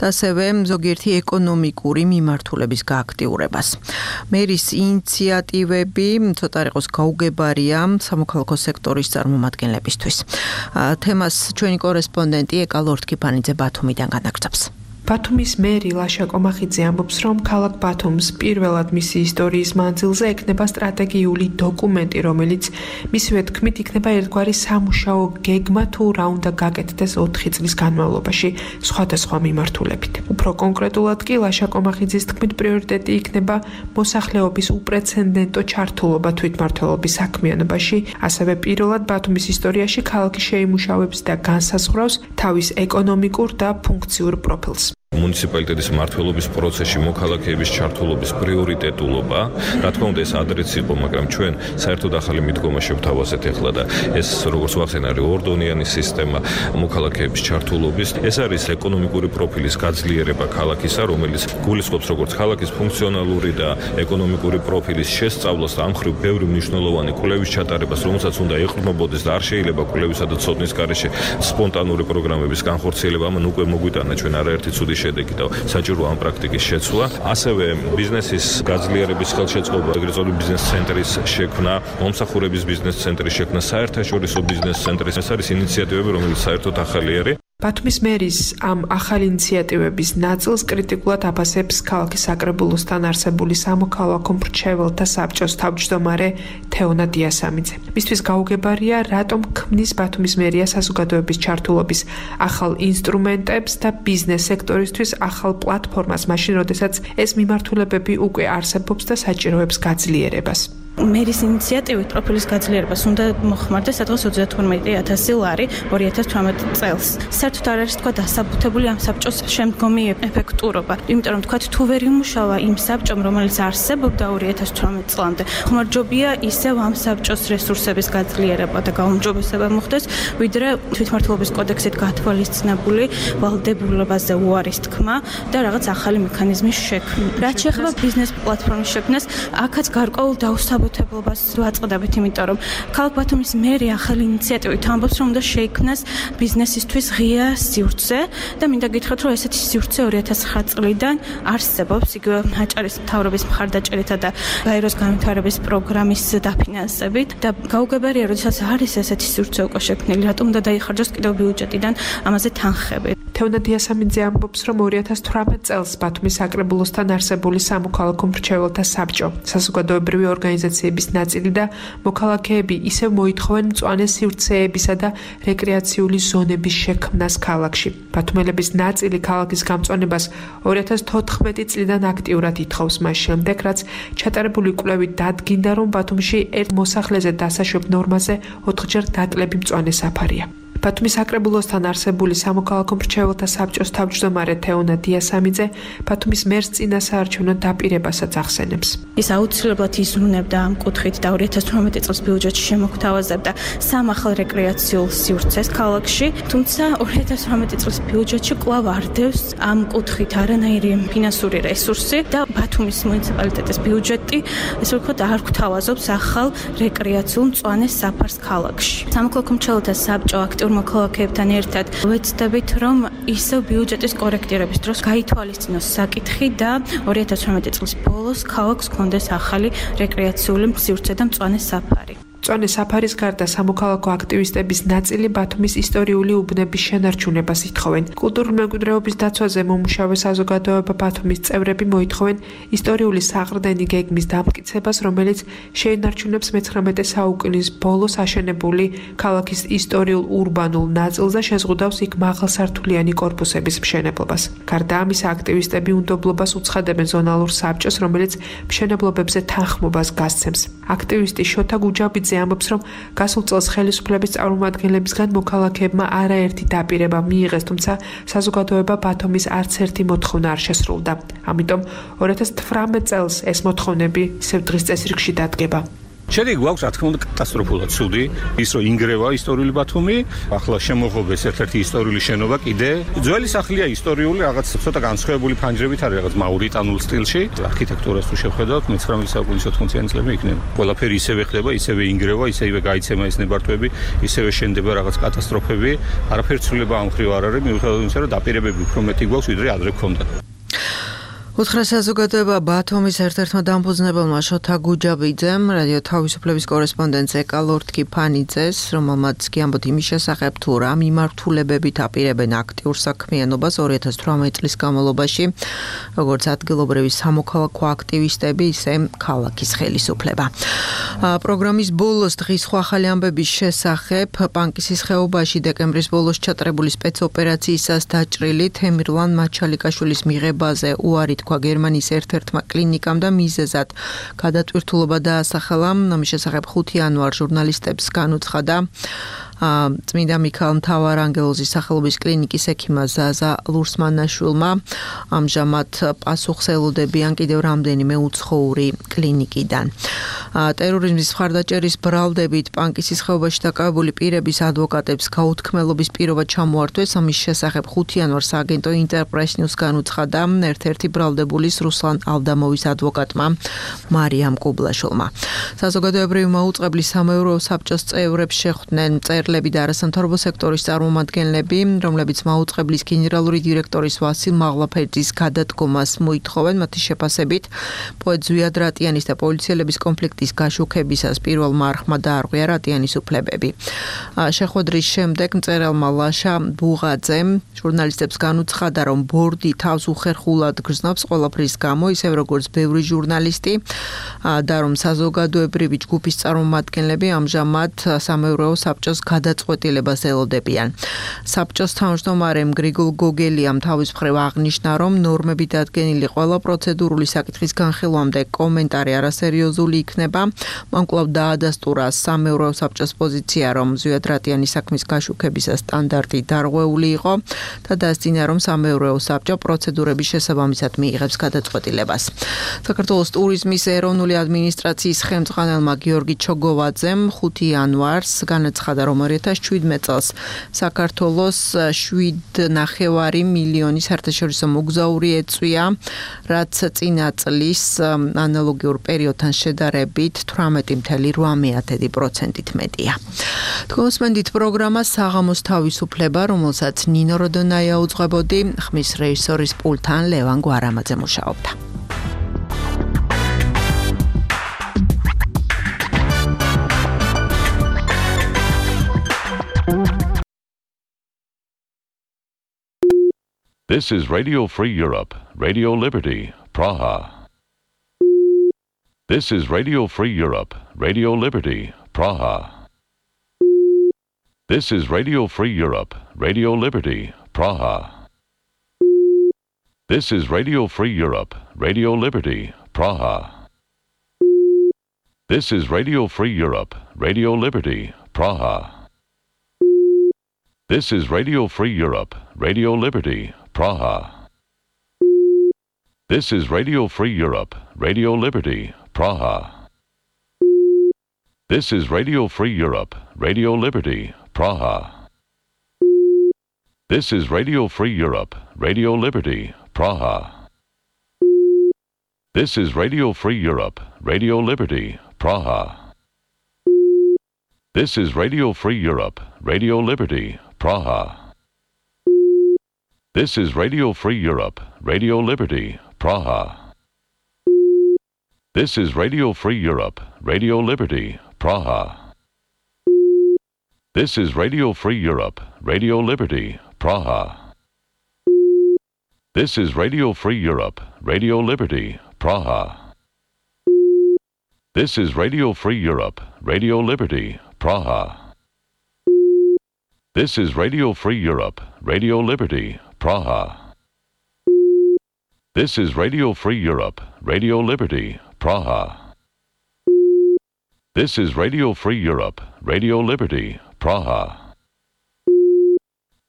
და ასევე ზოგიერთი ეკონომიკური მიმართულების გააქტიურებას. მერის ინიციატივები ცოტა იყოს გაუგებარია სამოქალაქო სექტორის წარმომადგენლებისთვის. თემას ჩვენი კორესპონდენტი ეკა ლორთქიფანიძე ბათუმიდან განაგრძობს. ბათუმის მერი ლაშა კომახიძე ამბობს, რომ ქალაქ ბათუმს პირველად მისი ისტორიის მანძილზე ექნება სტრატეგიული დოკუმენტი, რომელიც მისივე თქმით იქნება ერთგვარი სამუშაო გეგმა თუ რა უნდა გაკეთდეს ოთხი წლის განმავლობაში სხვადასხვა მიმართულებით. უფრო კონკრეტულად კი ლაშა კომახიძის თქმით პრიორიტეტი იქნება მოსახლეობის უპრეცედენტო ჩართულობა თვითმმართველობის საქმიანობაში, ასევე პირველად ბათუმის ისტორიაში ქალაქი შეიმუშავებს და განსაზღვრავს თავის ეკონომიკურ და ფუნქციურ პროფილს. მუნიციპალიტეტის მმართველობის პროცესში მოქალაქეების ჩართულობის პრიორიტეტულობა, რა თქმა უნდა ეს ადრეც იყო, მაგრამ ჩვენ საერთოდ ახალი მიდგომა შევთავაზეთ ახლა და ეს როგორც ვახსენე ორდონიანი სისტემა მოქალაქეების ჩართულობის, ეს არის ეკონომიკური პროფილის გაძლიერება ქალაქისა, რომელიც გულისხმობს როგორც ქალაქის ფუნქციონალური და ეკონომიკური პროფილის შესწავლას და ამ მხრივ ბევრი მნიშვნელოვანი კვლევის ჩატარებას, რომელსაც უნდა ეყრდნობოდეს და არ შეიძლება კვლევისა და ცოდნის გარეშე სპონტანური პროგრამების განხორციელება, ამან უკვე მოგვიტანა ჩვენ არაერთი ცუდი შედეგი და საჭირო ამ პრაქტიკის შეცვლა. ასევე ბიზნესის გაძლიერების ხელშეწყობა, ეგრეთ წოდებული ბიზნეს ცენტრის შექმნა, მომსახურების ბიზნეს ცენტრის შექმნა, საერთაშორისო ბიზნეს ცენტრის, ეს არის ინიციატივები, რომელიც საერთოდ ახალი არის. ბათუმის მერის ამ ახალი ინიციატივების ნაწილს კრიტიკულად აფასებს ქალაქის საკრებულოსთან არსებული სამოქალაქო მრჩეველთა საბჭოს თავმჯდომარე თეონა დიასამიძე. მისთვის გაუგებარია, რატომ ქმნის ბათუმის მერია საზოგადოების ჩართულობის ახალ ინსტრუმენტებს და ბიზნეს სექტორისთვის ახალ პლატფორმას, მაშინ როდესაც ეს მიმართულებები უკვე არსებობს და საჭიროებს გაძლიერებას. მერის ინიციატივით პროფილის გაძლიერებას უნდა მოხმარდეს სადღაც ოცდათორმეტი ათასი ლარი ორი ათას თვრამეტი წელს. საერთოდ არ არის თქვა დასაბუთებული ამ საბჭოს შემდგომი ეფექტურობა. იმიტომ რომ თქვა თუ ვერ იმუშავა იმ საბჭომ, რომელიც არსებობდა ორი ათას თვრამეტი წლამდე, ხმარჯობია ისევ ამ საბჭოს რესურსების გაძლიერება და გაუმჯობესება მოხდეს, ვიდრე თვითმმართველობის კოდექსით გათვალისწინებული ვალდებულებაზე უარის თქმა და რაღაც ახალი მექანიზმის შექმნა. რაც შეეხება ბიზნეს პლატფორმის შექმნას, აქაც გარკვეულ დაუსაბუთებელ დასაბუთებულობას ვაწყდებით, იმიტომ რომ ქალაქ ბათუმის მერი ახალი ინიციატივით ამბობს, რომ უნდა შეიქმნას ბიზნესისთვის ღია სივრცე და მინდა გითხრათ, რომ ესეთი სივრცე ორი ათას ცხრა წლიდან არსებობს, იგივე აჭარის მთავრობის მხარდაჭერითა და გაეროს განვითარების პროგრამის დაფინანსებით და გაუგებარია, როდესაც არის ესეთი სივრცე უკვე შექმნილი, რატომ უნდა დაიხარჯოს კიდევ ბიუჯეტიდან ამაზე თანხები. თეონა დიასამინძე ამბობს, რომ ორი ათას თვრამეტ წელს ბათუმის საკრებულოსთან არსებული სამოქალაქო მრჩეველთა საბჭო, საზოგადოებრივი ორგანიზაციების ნაწილი და მოქალაქეები ისევ მოითხოვენ მწვანე სივრცეებისა და რეკრეაციული ზონების შექმნას ქალაქში. ბათუმელების ნაწილი ქალაქის გამწვანებას ორი ათას თოთხმეტი წლიდან აქტიურად ითხოვს, მას შემდეგ, რაც ჩატარებული კვლევით დადგინდა, რომ ბათუმში ერთ მოსახლეზე დასაშვებ ნორმაზე ოთხჯერ დაკლები მწვანე საფარია. ბათუმის საკრებულოსთან არსებული სამოქალაქო მრჩეველთა საბჭოს თავმჯდომარე თეონა დიასამინძე ბათუმის მერს წინასაარჩევნო დაპირებასაც ახსენებს. ის აუცილებლად იზრუნებდა ამ კუთხით და ორი ათას თვრამეტი წელს ბიუჯეტში შემოგთავაზებდა სამ ახალ რეკრეაციულ სივრცეს ქალაქში, თუმცა ორი ათას თვრამეტი წლის ბიუჯეტში კვლავ არდევს ამ კუთხით არანაირი ფინანსური რესურსი და ბათუმის მუნიციპალიტეტის ბიუჯეტი ესე ვთქვათ არ გვთავაზობს ახალ რეკრეაციულ მწვანე საფარს ქალაქში. სამოქალაქო მრჩეველთა საბჭო აქტიურ მოქალაქეებთან ერთად ვეცდებით, რომ ისევ ბიუჯეტის კორექტირების დროს გაითვალისწინოს საკითხი და ორი ათას თვრამეტი წლის ბოლოს ქალაქს ჰქონდეს ახალი რეკრეაციული სივრცე და მწვანე საფარი. მწვანე საფარის გარდა სამოქალაქო აქტივისტების ნაწილი ბათუმის ისტორიული უბნების შენარჩუნებას ითხოვენ. კულტურული მემკვიდრეობის დაცვაზე მომუშავე საზოგადოება ბათუმის წევრები მოითხოვენ ისტორიული საყრდენი გეგმის დამტკიცებას, რომელიც შეენარჩუნებს მეცხრამეტე საუკუნის ბოლოს აშენებული ქალაქის ისტორიულ ურბანულ ნაწილს და შეზღუდავს იქ მაღალსართულიანი კორპუსების მშენებლობას. გარდა ამისა, აქტივისტები უნდობლობას უცხადებენ ზონალურ საბჭოს, რომელიც მშენებლობებზე თანხმობას გასცემს. აქტივისტი შოთა გუჯაბიძე ამბობს, რომ გასულ წელს ხელისუფლების წარმომადგენლებისგან მოქალაქეებმა არაერთი დაპირება მიიღეს, თუმცა საზოგადოება ბათუმის არც ერთი მოთხოვნა არ შესრულდა. ამიტომ ორი ათას თვრამეტ წელს ეს მოთხოვნები ისევ დღის წესრიგში დადგება. შედეგი გვაქვს, რა თქმა უნდა, კატასტროფულად ცუდი, ის რომ ინგრევა ისტორიული ბათუმი, ახლა შემოღობეს ერთ-ერთი ისტორიული შენობა კიდე. ძველი სახლია ისტორიული, რაღაც ცოტა განსხვავებული ფანჯრებით არის, რაღაც მაურიტანულ სტილში. არქიტექტურას თუ შევხედავთ, მეცხრამეტე საუკუნის ოთხმოციანი წლები იქნება. ყველაფერი ისევე ხდება, ისევე ინგრევა, ისევე გაიცემა ეს ნებართვები, ისევე შენდება რაღაც კატასტროფები. არაფერი ცვლილება ამ მხრივ არ არის, მიუხედავად იმისა, რომ დაპირებები უფრო მეტი გვაქვს, ვიდრე ადრე ჰქონდა. უთხრა საზოგადოება ბათუმის ერთ-ერთმა დამფუძნებელმა შოთა გუჯაბიძემ რადიო თავისუფლების კორესპონდენტს ეკალორთკი ფანიძეს, რომელმაც კი ამბობთ იმის შესახებ, თუ რა მიმართულებებით აპირებენ აქტიურ საქმიანობას ორი ათას თვრამეტი წლის განმავლობაში, როგორც ადგილობრივი სამოქალაქო აქტივისტები, ისე ქალაქის ხელისუფლება. პროგრამის ბოლოს დღის სხვა ახალი ამბების შესახებ პანკისის ხეობაში დეკემბრის ბოლოს ჩატარებული სპეცოპერაციისას დაჭრილი თემირლან მაჩალიკაშვილის მიღებაზე უარი თქვა გერმანიის ერთ-ერთმა კლინიკამ და მიზეზად გადატვირთულობა დაასახელა. ამის შესახებ ხუთი იანვარ ჟურნალისტებს განუცხადა წმინდა მიქაელ მთავარანგელოზის სახელობის კლინიკის ექიმმა ზაზა ლურსმანაშვილმა. ამჟამად პასუხს ელოდებიან კიდევ რამდენიმე უცხოური კლინიკიდან. ტერორიზმის მხარდაჭერის ბრალდებით პანკისის ხეობაში დაკავებული პირების ადვოკატებს გაუთქმელობის პირობა ჩამოართვეს. ამის შესახებ ხუთი იანვარ სააგენტო ინტერპრეს ნიუს განუცხადა ერთ-ერთი ბრალდებულის რუსლან ალდამოვის ადვოკატმა მარიამ კუბლაშვილმა. საზოგადოებრივი მაუწყებლის სამეურვეო საბჭოს წევრებს შეხვდნენ წერლები და არასამთავრობო სექტორის წარმომადგენლები, რომლებიც მაუწყებლის გენერალური დირექტორის ვასილ მაღლაფეძის გადადგომას მოითხოვენ. მათი შეფასებით, პოეტ ზვიად რატიანის და პოლიციელების კონფლიქტის გაშუქებისას პირველმა არხმა დაარღვია რატიანის უფლებები. შეხვედრის შემდეგ მწერალმა ლაშა ბუღაძემ ჟურნალისტებს განუცხადა, რომ ბორდი თავს უხერხულად გრძნობს ყველაფრის გამო, ისევ როგორც ბევრი ჟურნალისტი და რომ საზოგადოებრივი ჯგუფის წარმომადგენლები ამჟამად სამეურვეო საბჭოს გადაწყვეტილებას ელოდებიან. საბჭოს თავმჯდომარემ გრიგოლ გოგელიამ თავის მხრივ აღნიშნა, რომ ნორმები დადგენილი ყველა პროცედურული საკითხის განხილვამდე კომენტარი არასერიოზული იქნება. მან კვლავ დაადასტურა სამეურვეო საბჭოს პოზიცია, რომ ზვიად რატიანის საქმის გაშუქებისას სტანდარტი დარღვეული იყო და დასძინა, რომ სამეურვეო საბჭო პროცედურების შესაბამისად მიიღებს გადაწყვეტილებას. საქართველოს ტურიზმის ეროვნული ადმინისტრაციის ხელმძღვანელმა გიორგი ჩოგოვაძემ ხუთი იანვარს განაცხადა, რომ ორი ათას შვიდმეტ წელს საქართველოს შვიდ ნახევარი მილიონი საერთაშორისო მოგზაური ეწვია, რაც წინა წლის ანალოგიურ პერიოდთან შედარებით თვრამეტი მცდარი რვა პროცენტით მეტია. თქვენსმენდით პროგრამა საღამოს თავისუფლება, რომელსაც ნინო როდონაია უძღვებოდი, ხმის რეჟისორის პულტთან ლევან გვარამაძე მუშაობდა. This is Radio Free Europe, Radio Liberty, Praha. This is Radio Free Europe, Radio Liberty, Praha. This is Radio Free Europe, Radio Liberty, Praha. This is Radio Free Europe, Radio Liberty, Praha. This is Radio Free Europe, Radio Liberty, Praha. This is Radio Free Europe, Radio Liberty, Praha. This is Radio Free Europe, Radio Liberty, Praha. This is Radio Free Europe, Radio Liberty, Praha. This is Radio Free Europe, Radio Liberty, Praha. This is Radio Free Europe, Radio Liberty, Praha. This is Radio Free Europe, Radio Liberty, Praha. This is Radio Free Europe, Radio Liberty, Praha. This is Radio Free Europe, Radio Liberty, Praha. This is Radio Free Europe, Radio Liberty, Praha. This is Radio Free Europe, Radio Liberty, Praha. This is Radio Free Europe, Radio Liberty, Praha. This is Radio Free Europe, Radio Liberty, Praha. This is Radio Free Europe, Radio Liberty, Praha. This is Radio Free Europe, Radio Liberty, Praha.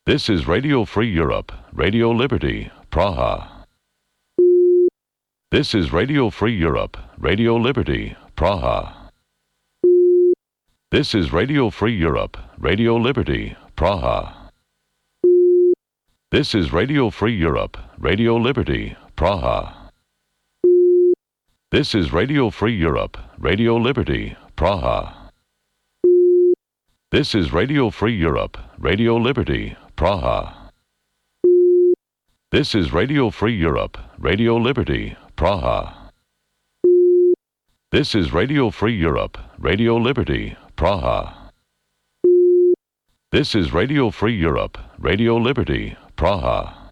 This is Radio Free Europe, Radio Liberty, Praha. This is Radio Free Europe, Radio Liberty, Praha. This is Radio Free Europe, Radio Liberty, Praha. This is Radio Free Europe, Radio Liberty, Praha. This is Radio Free Europe, Radio Liberty, Praha. This is Radio Free Europe, Radio Liberty, Praha. This is Radio Free Europe, Radio Liberty, Praha. This is Radio Free Europe, Radio Liberty, Praha.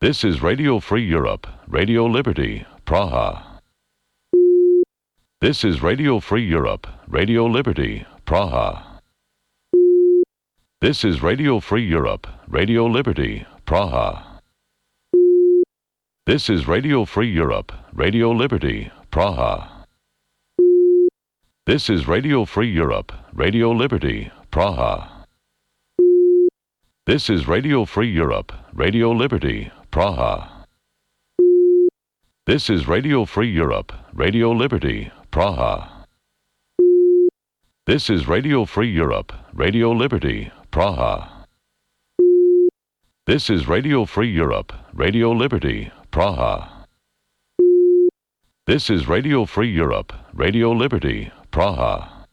This is Radio Free Europe, Radio Liberty, Praha. This is Radio Free Europe, Radio Liberty, Praha. This is Radio Free Europe, Radio Liberty, Praha. This is Radio Free Europe, Radio Liberty, Praha. This is Radio Free Europe, Radio Liberty, Praha. This is Radio Free Europe, Radio Liberty, Praha. This is Radio Free Europe, Radio Liberty, Praha. This is Radio Free Europe, Radio Liberty, Praha. This is Radio Free Europe, Radio Liberty, Praha. This is Radio Free Europe, Radio Liberty, Praha. This is Radio Free Europe, Radio Liberty, Praha.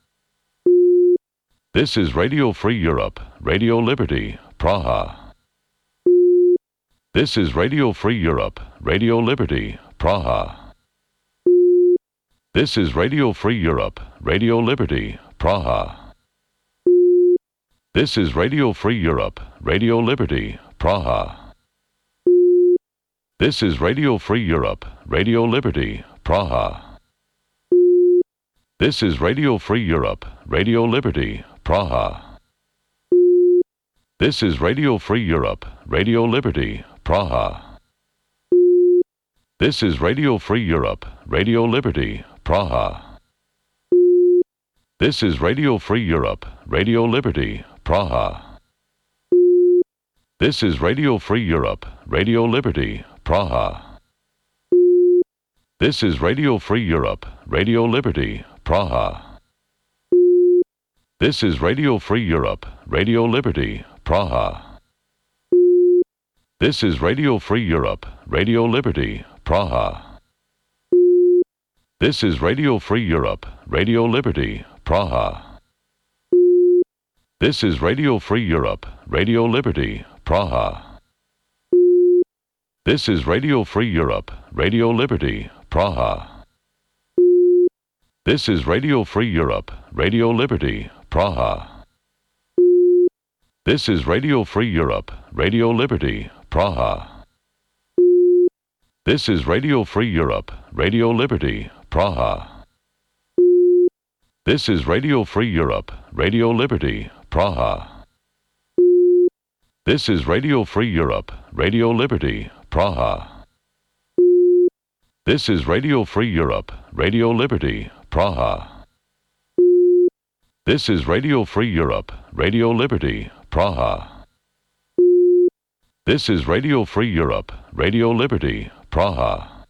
This is Radio Free Europe, Radio Liberty, Praha. This is Radio Free Europe, Radio Liberty, Praha. This is Radio Free Europe, Radio Liberty, Praha. This is Radio Free Europe, Radio Liberty, Praha. This is Radio Free Europe, Radio Liberty, Praha. This is Radio Free Europe, Radio Liberty, Praha. This is Radio Free Europe, Radio Liberty, Praha. This is Radio Free Europe, Radio Liberty, Praha. This is Radio Free Europe, Radio Liberty, Praha. This is Radio Free Europe, Radio Liberty, Praha. This is Radio Free Europe, Radio Liberty, Praha. This is Radio Free Europe, Radio Liberty, Praha. This is Radio Free Europe, Radio Liberty, Praha. This is Radio Free Europe, Radio Liberty, Praha. This is Radio Free Europe, Radio Liberty, Praha. This is Radio Free Europe, Radio Liberty, Praha. This is Radio Free Europe, Radio Liberty, Praha. This is Radio Free Europe, Radio Liberty, Praha. This is Radio Free Europe, Radio Liberty, Praha. This is Radio Free Europe, Radio Liberty, Praha. This is Radio Free Europe, Radio Liberty, Praha. This is Radio Free Europe, Radio Liberty, Praha. This is Radio Free Europe, Radio Liberty, Praha. This is Radio Free Europe, Radio Liberty, Praha.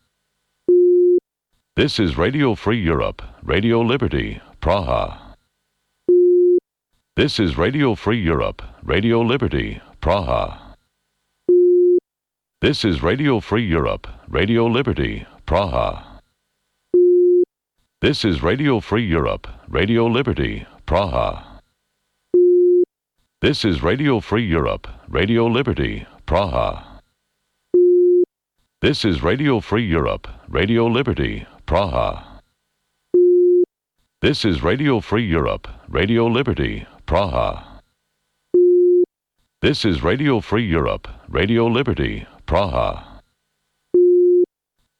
This is Radio Free Europe, Radio Liberty, Praha. This is Radio Free Europe, Radio Liberty, Praha. This is Radio Free Europe, Radio Liberty, Praha. This is Radio Free Europe, Radio Liberty, Praha. This is Radio Free Europe, Radio Liberty, Praha. This is Radio Free Europe, Radio Liberty, Praha. This is Radio Free Europe, Radio Liberty, Praha. This is Radio Free Europe, Radio Liberty, Praha.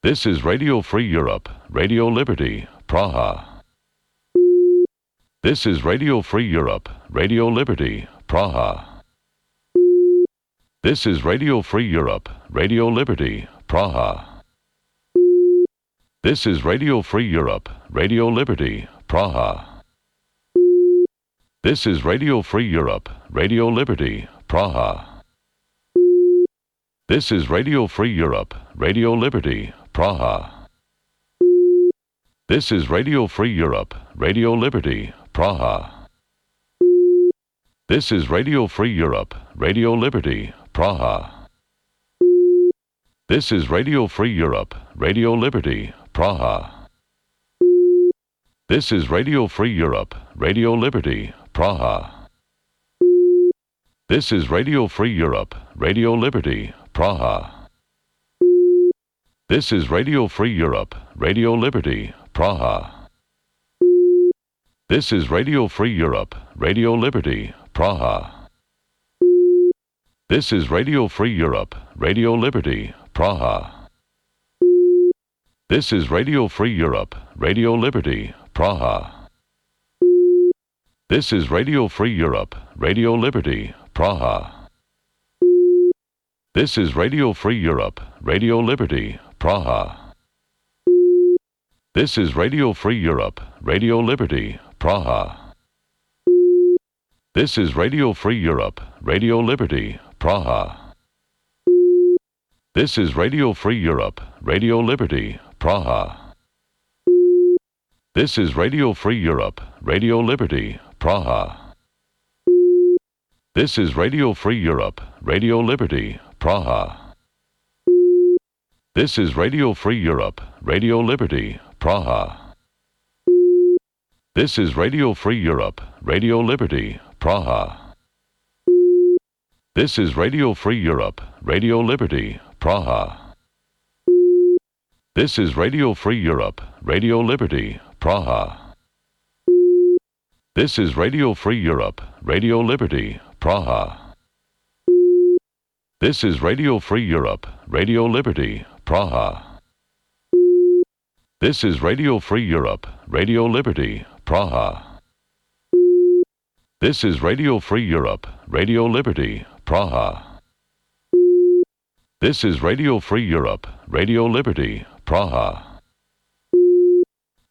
This is Radio Free Europe, Radio Liberty, Praha. This is Radio Free Europe, Radio Liberty, Praha. This is Radio Free Europe, Radio Liberty, Praha. This is Radio Free Europe, Radio Liberty, Praha. This is Radio Free Europe, Radio Liberty, Praha. This is Radio Free Europe, Radio Liberty, Praha. This is Radio Free Europe, Radio Liberty, Praha. This is Radio Free Europe, Radio Liberty, Praha. This is Radio Free Europe, Radio Liberty, Praha. This is Radio Free Europe, Radio Liberty, Praha. This is Radio Free Europe, Radio Liberty, Praha. This is Radio Free Europe, Radio Liberty, Praha. This is Radio Free Europe, Radio Liberty, Praha. This is Radio Free Europe, Radio Liberty, Praha. This is Radio Free Europe, Radio Liberty, Praha. This is Radio Free Europe, Radio Liberty, Praha. This is Radio Free Europe, Radio Liberty, Praha. This is Radio Free Europe, Radio Liberty, Praha. This is Radio Free Europe, Radio Liberty, Praha. This is Radio Free Europe, Radio Liberty, Praha. This is Radio Free Europe, Radio Liberty, Praha. This is Radio Free Europe, Radio Liberty, Praha. This is Radio Free Europe, Radio Liberty, Praha. This is Radio Free Europe, Radio Liberty, Praha. This is Radio Free Europe, Radio Liberty, Praha. This is Radio Free Europe, Radio Liberty, Praha. This is Radio Free Europe, Radio Liberty, Praha. This is Radio Free Europe, Radio Liberty, Praha. This is Radio Free Europe, Radio Liberty, Praha. This is Radio Free Europe, Radio Liberty, Praha. This is Radio Free Europe, Radio Liberty, Praha.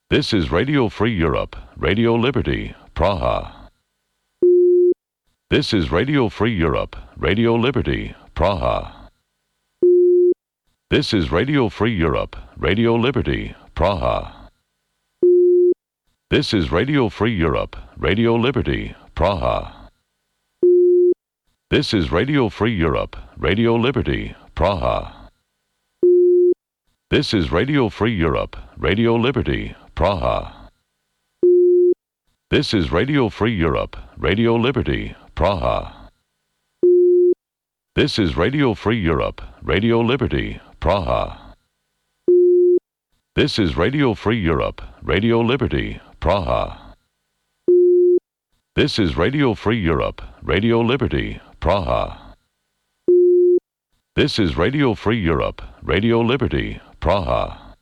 This is Radio Free Europe, Radio Liberty, Praha. This is Radio Free Europe, Radio Liberty, Praha. This is Radio Free Europe, Radio Liberty, Praha. This is Radio Free Europe, Radio Liberty, Praha. This is Radio Free Europe, Radio Liberty, Praha. This is Radio Free Europe, Radio Liberty, Praha. This is Radio Free Europe, Radio Liberty, Praha. This is Radio Free Europe, Radio Liberty, Praha. This is Radio Free Europe, Radio Liberty, Praha. This is Radio Free Europe, Radio Liberty, Praha. This is Radio Free Europe, Radio Liberty, Praha.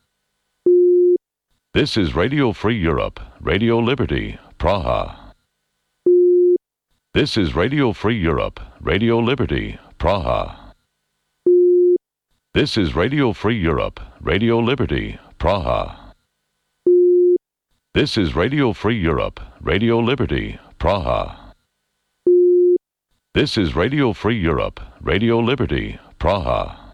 This is Radio Free Europe, Radio Liberty, Praha. This is Radio Free Europe, Radio Liberty, Praha. This is Radio Free Europe, Radio Liberty, Praha. This is Radio Free Europe, Radio Liberty, Praha. This is Radio Free Europe, Radio Liberty, Praha.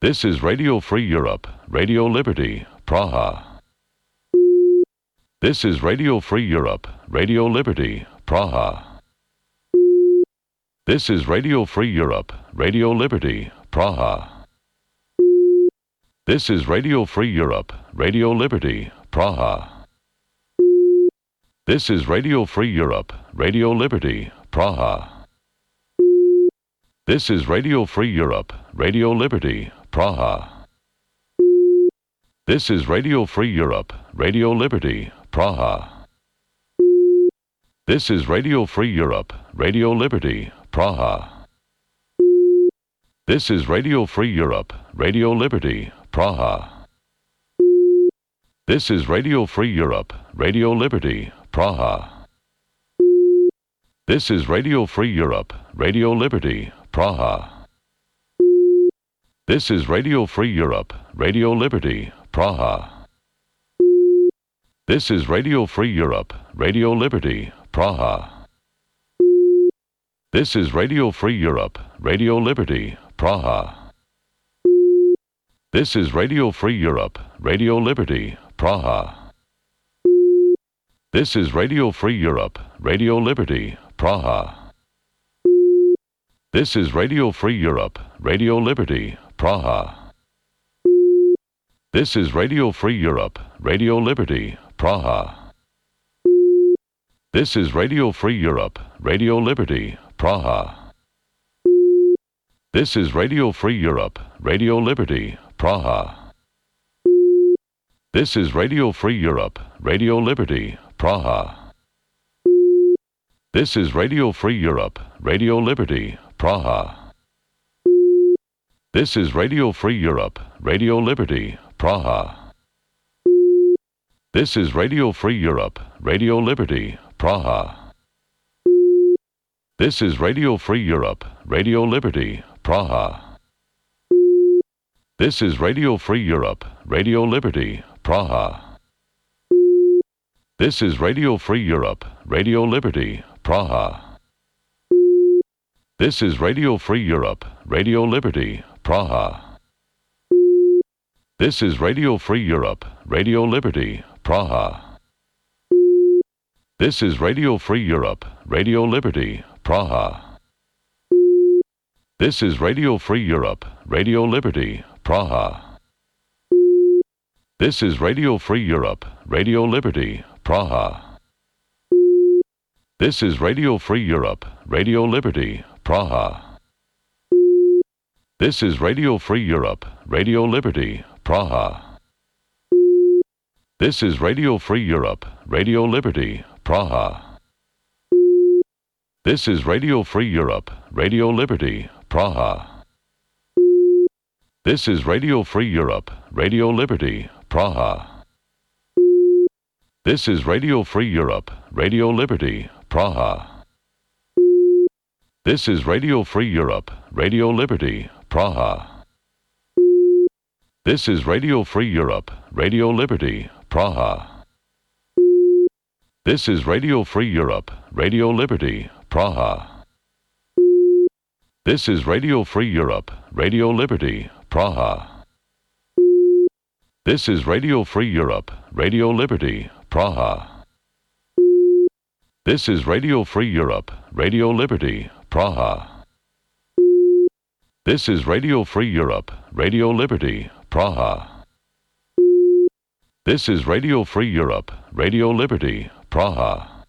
This is Radio Free Europe, Radio Liberty, Praha. This is Radio Free Europe, Radio Liberty, Praha. This is Radio Free Europe, Radio Liberty, Praha. This is Radio Free Europe, Radio Liberty, Praha. This is Radio Free Europe, Radio Liberty, Praha. This is Radio Free Europe, Radio Liberty, Praha. This is Radio Free Europe, Radio Liberty, Praha. This is Radio Free Europe, Radio Liberty, Praha. This is Radio Free Europe, Radio Liberty, Praha. This is Radio Free Europe, Radio Liberty, Praha. This is Radio Free Europe, Radio Liberty, Praha. This is Radio Free Europe, Radio Liberty, Praha. This is Radio Free Europe, Radio Liberty, Praha. This is Radio Free Europe, Radio Liberty, Praha. This is Radio Free Europe, Radio Liberty, Praha. This is Radio Free Europe, Radio Liberty, Praha. This is Radio Free Europe, Radio Liberty, Praha. This is Radio Free Europe, Radio Liberty, Praha. This is Radio Free Europe, Radio Liberty, Praha. This is Radio Free Europe, Radio Liberty, Praha. This is Radio Free Europe, Radio Liberty, Praha. This is Radio Free Europe, Radio Liberty, Praha. This is Radio Free Europe, Radio Liberty, Praha. This is Radio Free Europe, Radio Liberty, Praha. This is Radio Free Europe, Radio Liberty, Praha. This is Radio Free Europe, Radio Liberty, Praha. This is Radio Free Europe, Radio Liberty, Praha. This is Radio Free Europe, Radio Liberty, Praha. This is Radio Free Europe, Radio Liberty, Praha. This is Radio Free Europe, Radio Liberty, Praha. This is Radio Free Europe, Radio Liberty, Praha. This is Radio Free Europe, Radio Liberty, Praha. This is Radio Free Europe, Radio Liberty, Praha. This is Radio Free Europe, Radio Liberty, Praha. This is Radio Free Europe, Radio Liberty, Praha. This is Radio Free Europe, Radio Liberty, Praha. This is Radio Free Europe, Radio Liberty, Praha. This is Radio Free Europe, Radio Liberty, Praha. This is Radio Free Europe, Radio Liberty, Praha. This is Radio Free Europe, Radio Liberty, Praha. This is Radio Free Europe, Radio Liberty, Praha. This is Radio Free Europe, Radio Liberty, Praha. This is Radio Free Europe, Radio Liberty, Praha. This is Radio Free Europe, Radio Liberty, Praha. This is Radio Free Europe, Radio Liberty, Praha. This is Radio Free Europe, Radio Liberty, Praha.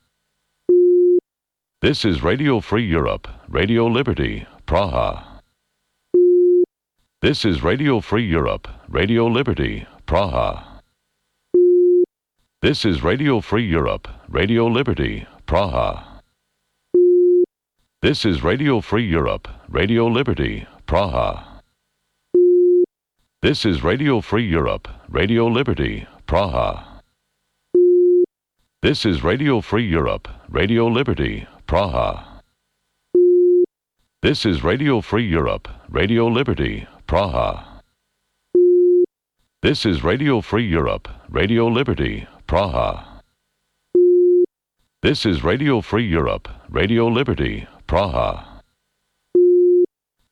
This is Radio Free Europe, Radio Liberty, Praha. This is Radio Free Europe, Radio Liberty, Praha. This is Radio Free Europe, Radio Liberty, Praha. This is Radio Free Europe, Radio Liberty, Praha. This is Radio Free Europe, Radio Liberty, Praha. This is Radio Free Europe, Radio Liberty, Praha. This is Radio Free Europe, Radio Liberty, Praha. This is Radio Free Europe, Radio Liberty, Praha. This is Radio Free Europe, Radio Liberty, Praha.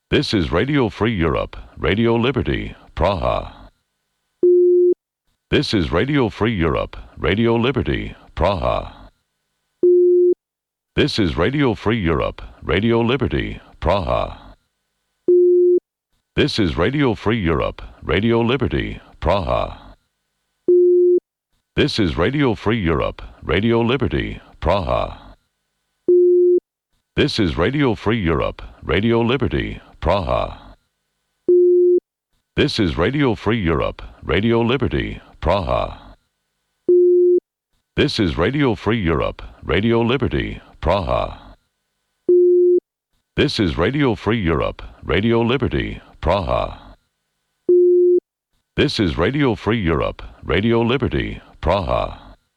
This is Radio Free Europe, Radio Liberty, Praha. This is Radio Free Europe, Radio Liberty, Praha. This is Radio Free Europe, Radio Liberty, Praha. This is Radio Free Europe, Radio Liberty, Praha. This is Radio Free Europe, Radio Liberty, Praha. This is Radio Free Europe, Radio Liberty, Praha. This is Radio Free Europe, Radio Liberty, Praha. This is Radio Free Europe, Radio Liberty, Praha. This is Radio Free Europe, Radio Liberty, Praha. This is Radio Free Europe, Radio Liberty, Praha.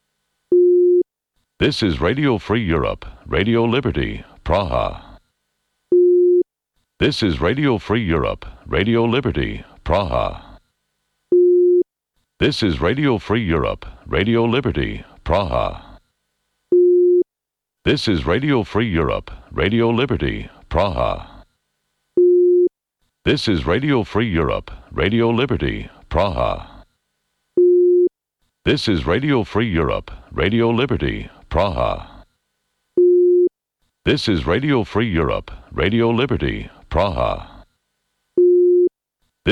This is Radio Free Europe, Radio Liberty, Praha. This is Radio Free Europe, Radio Liberty, Praha. This is Radio Free Europe, Radio Liberty, Praha. This is Radio Free Europe, Radio Liberty, Praha. This is Radio Free Europe, Radio Liberty, Praha. This is Radio Free Europe, Radio Liberty, Praha. This is Radio Free Europe, Radio Liberty, Praha.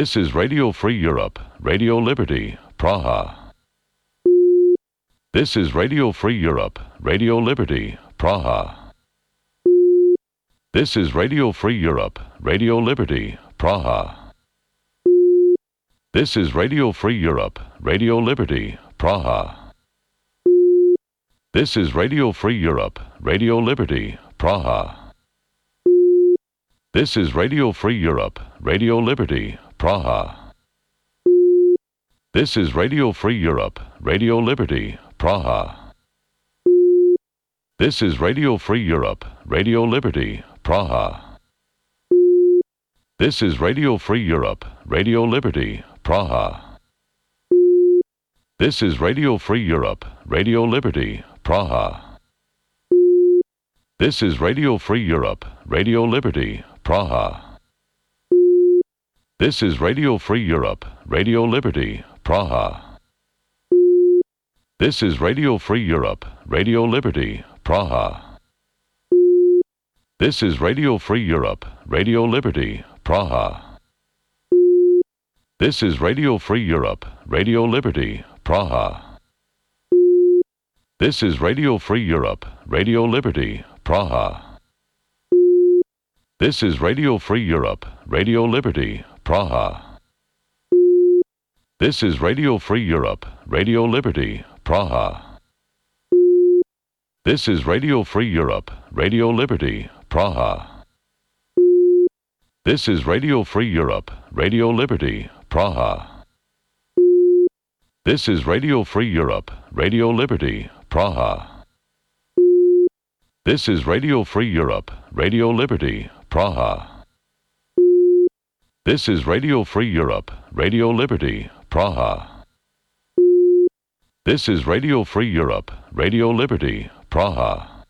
This is Radio Free Europe, Radio Liberty, Praha. This is Radio Free Europe, Radio Liberty, Praha. This is Radio Free Europe, Radio Liberty, Praha. This is Radio Free Europe, Radio Liberty, Praha. This is Radio Free Europe, Radio Liberty, Praha. This is Radio Free Europe, Radio Liberty, Praha. This is Radio Free Europe, Radio Liberty, Praha. This is Radio Free Europe, Radio Liberty, Praha. This is Radio Free Europe, Radio Liberty, Praha. This is Radio Free Europe, Radio Liberty, Praha. This is Radio Free Europe, Radio Liberty, Praha. This is Radio Free Europe, Radio Liberty, Praha. This is Radio Free Europe, Radio Liberty, Praha. This is Radio Free Europe, Radio Liberty, Praha. This is Radio Free Europe, Radio Liberty, Praha. This is Radio Free Europe, Radio Liberty, Praha. This is Radio Free Europe, Radio Liberty, Praha. This is Radio Free Europe, Radio Liberty, Praha. This is Radio Free Europe, Radio Liberty, Praha. This is Radio Free Europe, Radio Liberty, Praha. This is Radio Free Europe, Radio Liberty, Praha. This is Radio Free Europe, Radio Liberty, Praha. This is Radio Free Europe, Radio Liberty, Praha. This is Radio Free Europe, Radio Liberty, Praha.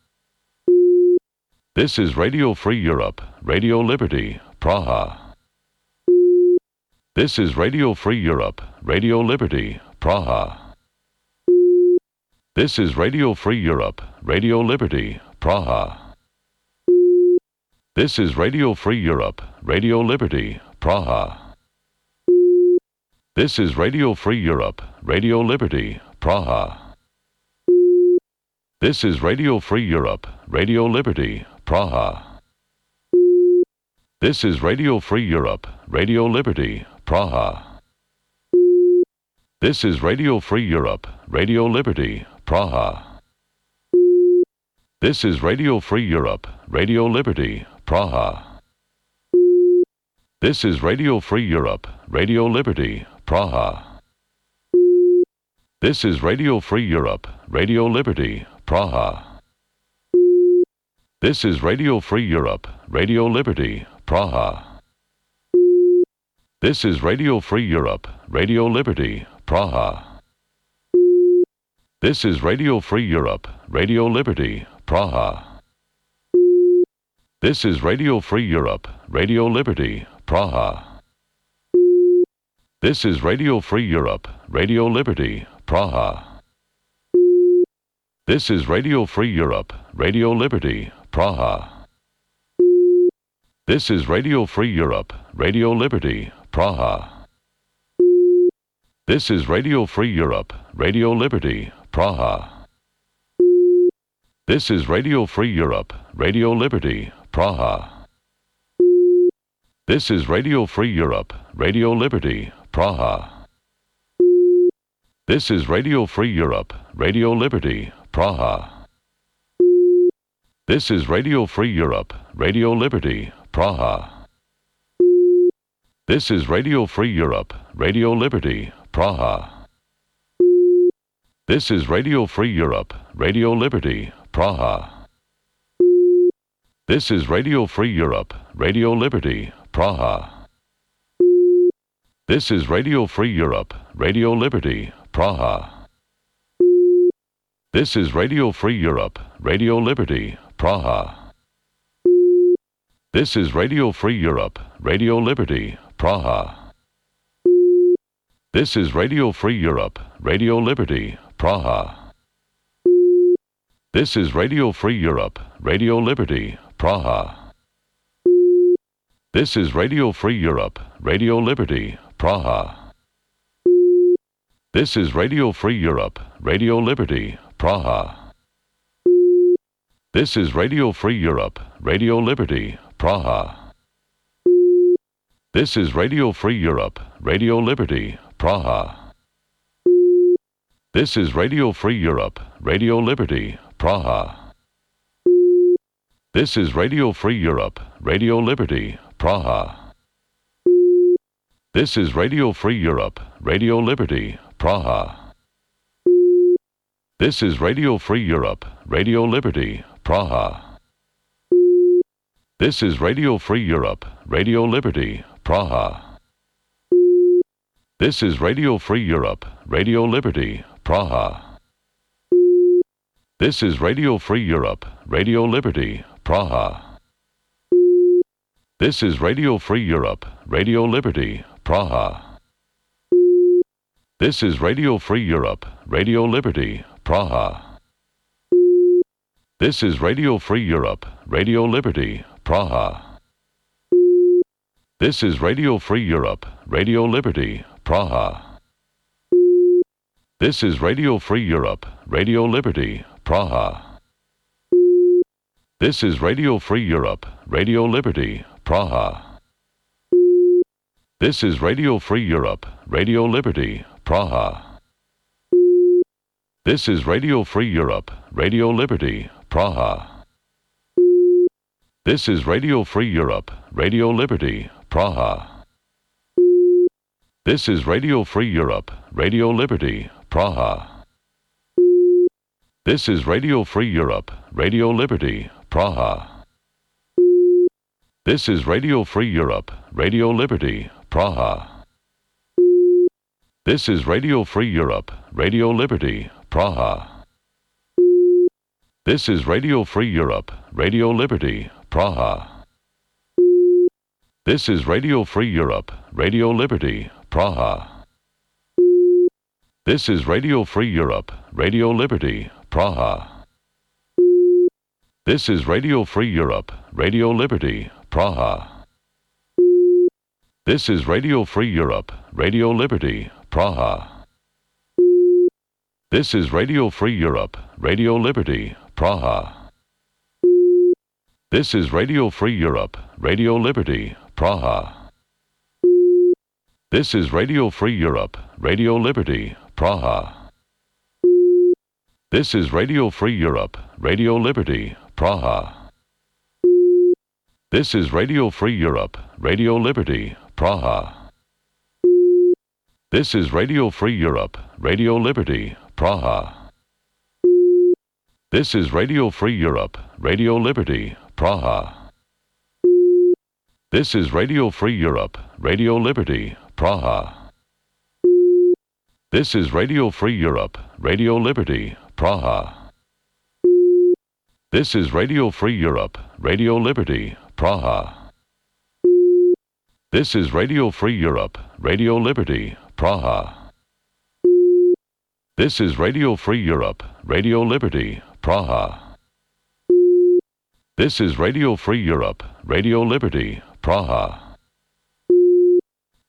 This is Radio Free Europe, Radio Liberty, Praha. This is Radio Free Europe, Radio Liberty, Praha. This is Radio Free Europe, Radio Liberty, Praha. This is Radio Free Europe, Radio Liberty, Praha. This is Radio Free Europe, Radio Liberty, Praha. This is Radio Free Europe, Radio Liberty, Praha. This is Radio Free Europe, Radio Liberty, Praha. This is Radio Free Europe, Radio Liberty, Praha. This is Radio Free Europe, Radio Liberty, Praha. This is Radio Free Europe, Radio Liberty, Praha. This is Radio Free Europe, Radio Liberty, Praha. This is Radio Free Europe, Radio Liberty, Praha. This is Radio Free Europe, Radio Liberty, Praha. This is Radio Free Europe, Radio Liberty, Praha. This is Radio Free Europe, Radio Liberty, Praha. This is Radio Free Europe, Radio Liberty, Praha. This is Radio Free Europe, Radio Liberty, Praha. This is Radio Free Europe, Radio Liberty, Praha. This is Radio Free Europe, Radio Liberty, Praha. This is Radio Free Europe, Radio Liberty, Praha. This is Radio Free Europe, Radio Liberty, Praha. This is Radio Free Europe, Radio Liberty, Praha. This is Radio Free Europe, Radio Liberty, Praha. This is Radio Free Europe, Radio Liberty, Praha. This is Radio Free Europe, Radio Liberty, Praha. This is Radio Free Europe, Radio Liberty, Praha. This is Radio Free Europe, Radio Liberty, Praha. This is Radio Free Europe, Radio Liberty, Praha. This is Radio Free Europe, Radio Liberty, Praha. This is Radio Free Europe, Radio Liberty, Praha. This is Radio Free Europe, Radio Liberty, Praha. This is Radio Free Europe, Radio Liberty, Praha. This is Radio Free Europe, Radio Liberty, Praha. This is Radio Free Europe, Radio Liberty, Praha. This is Radio Free Europe, Radio Liberty, Praha. This is Radio Free Europe, Radio Liberty, Praha. This is Radio Free Europe, Radio Liberty, Praha. This is Radio Free Europe, Radio Liberty, Praha. This is Radio Free Europe, Radio Liberty, Praha. This is Radio Free Europe, Radio Liberty, Praha. This is Radio Free Europe, Radio Liberty, Praha. This is Radio Free Europe, Radio Liberty, Praha. This is Radio Free Europe, Radio Liberty, Praha. This is Radio Free Europe, Radio Liberty, Praha. This is Radio Free Europe, Radio Liberty, Praha. This is Radio Free Europe, Radio Liberty, Praha. This is Radio Free Europe, Radio Liberty, Praha. This is Radio Free Europe, Radio Liberty, Praha. This is Radio Free Europe, Radio Liberty, Praha. This is Radio Free Europe, Radio Liberty, Praha. This is Radio Free Europe, Radio Liberty, Praha. This is Radio Free Europe, Radio Liberty, Praha. This is Radio Free Europe, Radio Liberty, Praha. This is Radio Free Europe, Radio Liberty, Praha. This is Radio Free Europe, Radio Liberty, Praha. This is Radio Free Europe, Radio Liberty, Praha. This is Radio Free Europe, Radio Liberty, Praha. This is Radio Free Europe, Radio Liberty, Praha. This is Radio Free Europe, Radio Liberty, Praha. This is Radio Free Europe, Radio Liberty, Praha. This is Radio Free Europe, Radio Liberty, Praha. This is Radio Free Europe, Radio Liberty, Praha. This is Radio Free Europe, Radio Liberty, Praha. This is Radio Free Europe, Radio Liberty, Praha. This is Radio Free Europe, Radio Liberty, Praha. This is Radio Free Europe, Radio Liberty, Praha. This is Radio Free Europe, Radio Liberty, Praha. This is Radio Free Europe, Radio Liberty, Praha. This is Radio Free Europe, Radio Liberty, Praha. This is Radio Free Europe, Radio Liberty, Praha. This is Radio Free Europe, Radio Liberty, Praha. This is Radio Free Europe, Radio Liberty, Praha. This is Radio Free Europe, Radio Liberty, Praha.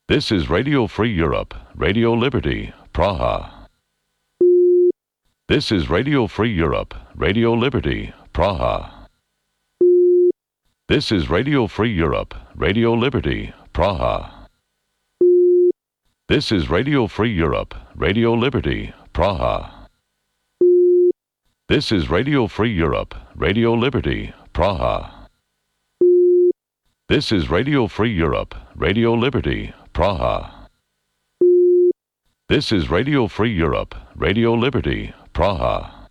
This is Radio Free Europe, Radio Liberty, Praha. This is Radio Free Europe, Radio Liberty, Praha. This is Radio Free Europe, Radio Liberty, Praha. This is Radio Free Europe, Radio Liberty, Praha. This is Radio Free Europe, Radio Liberty, Praha. This is Radio Free Europe, Radio Liberty, Praha. This is Radio Free Europe, Radio Liberty, Praha.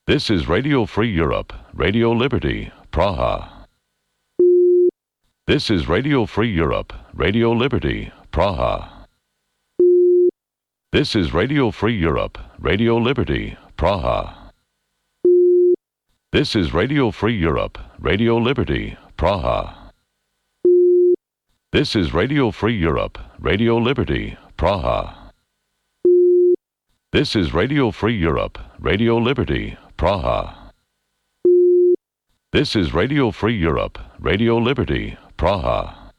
This is Radio Free Europe, Radio Liberty, Praha. This is Radio Free Europe, Radio Liberty, Praha. This is Radio Free Europe, Radio Liberty, Praha. This is Radio Free Europe, Radio Liberty, Praha. This is Radio Free Europe, Radio Liberty, Praha. This is Radio Free Europe, Radio Liberty, Praha. This is Radio Free Europe, Radio Liberty, Praha.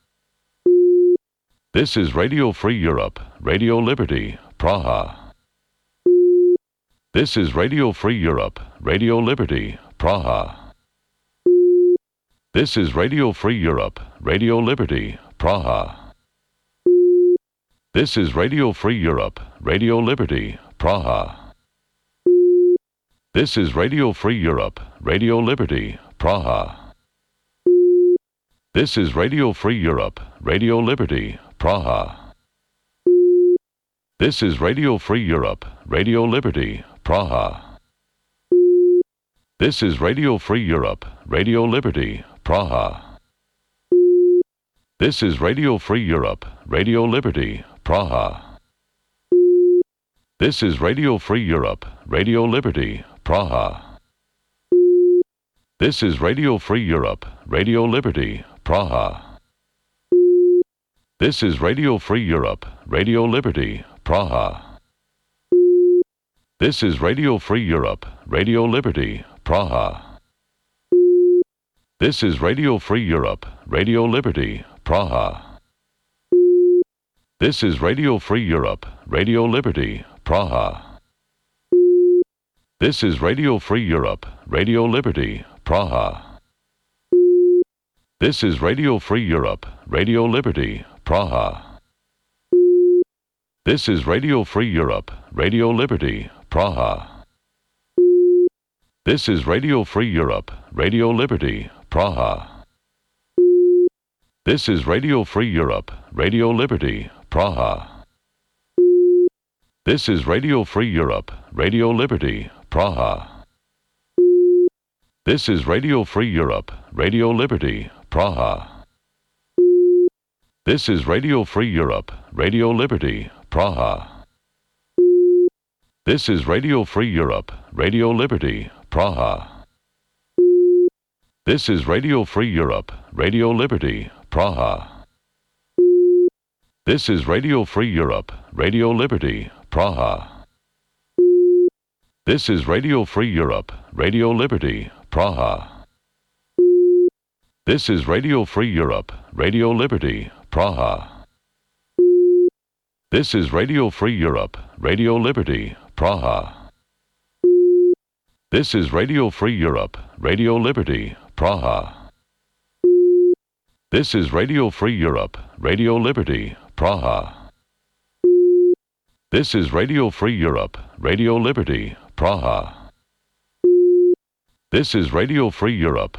This is Radio Free Europe, Radio Liberty, Praha. This is Radio Free Europe, Radio Liberty, Praha. This is Radio Free Europe, Radio Liberty, Praha. This is Radio Free Europe, Radio Liberty, Praha. This is Radio Free Europe, Radio Liberty, Praha. This is Radio Free Europe, Radio Liberty, Praha. This is Radio Free Europe, Radio Liberty, Praha. This is Radio Free Europe, Radio Liberty, Praha. This is Radio Free Europe, Radio Liberty, Praha. This is Radio Free Europe, Radio Liberty, Praha. This is Radio Free Europe, Radio Liberty, Praha. This is Radio Free Europe, Radio Liberty, Praha. This is Radio Free Europe, Radio Liberty, Praha. This is Radio Free Europe, Radio Liberty, Praha. This is Radio Free Europe, Radio Liberty, Praha. This is Radio Free Europe, Radio Liberty, Praha. This is Radio Free Europe, Radio Liberty, Praha. This is Radio Free Europe, Radio Liberty, Praha. This is Radio Free Europe, Radio Liberty, Praha. This is Radio Free Europe, Radio Liberty, Praha. This is Radio Free Europe, Radio Liberty, Praha. This is Radio Free Europe, Radio Liberty, Praha. This is Radio Free Europe, Radio Liberty, Praha. This is Radio Free Europe, Radio Liberty, Praha. This is Radio Free Europe, Radio Liberty, Praha. This is Radio Free Europe, Radio Liberty, Praha. This is Radio Free Europe, Radio Liberty, Praha. This is Radio Free Europe, Radio Liberty, Praha. This is Radio Free Europe, Radio Liberty, Praha. This is Radio Free Europe, Radio Liberty, Praha. This is Radio Free Europe, Radio Liberty, Praha. This is Radio Free Europe, Radio Liberty, Praha. This is Radio Free Europe,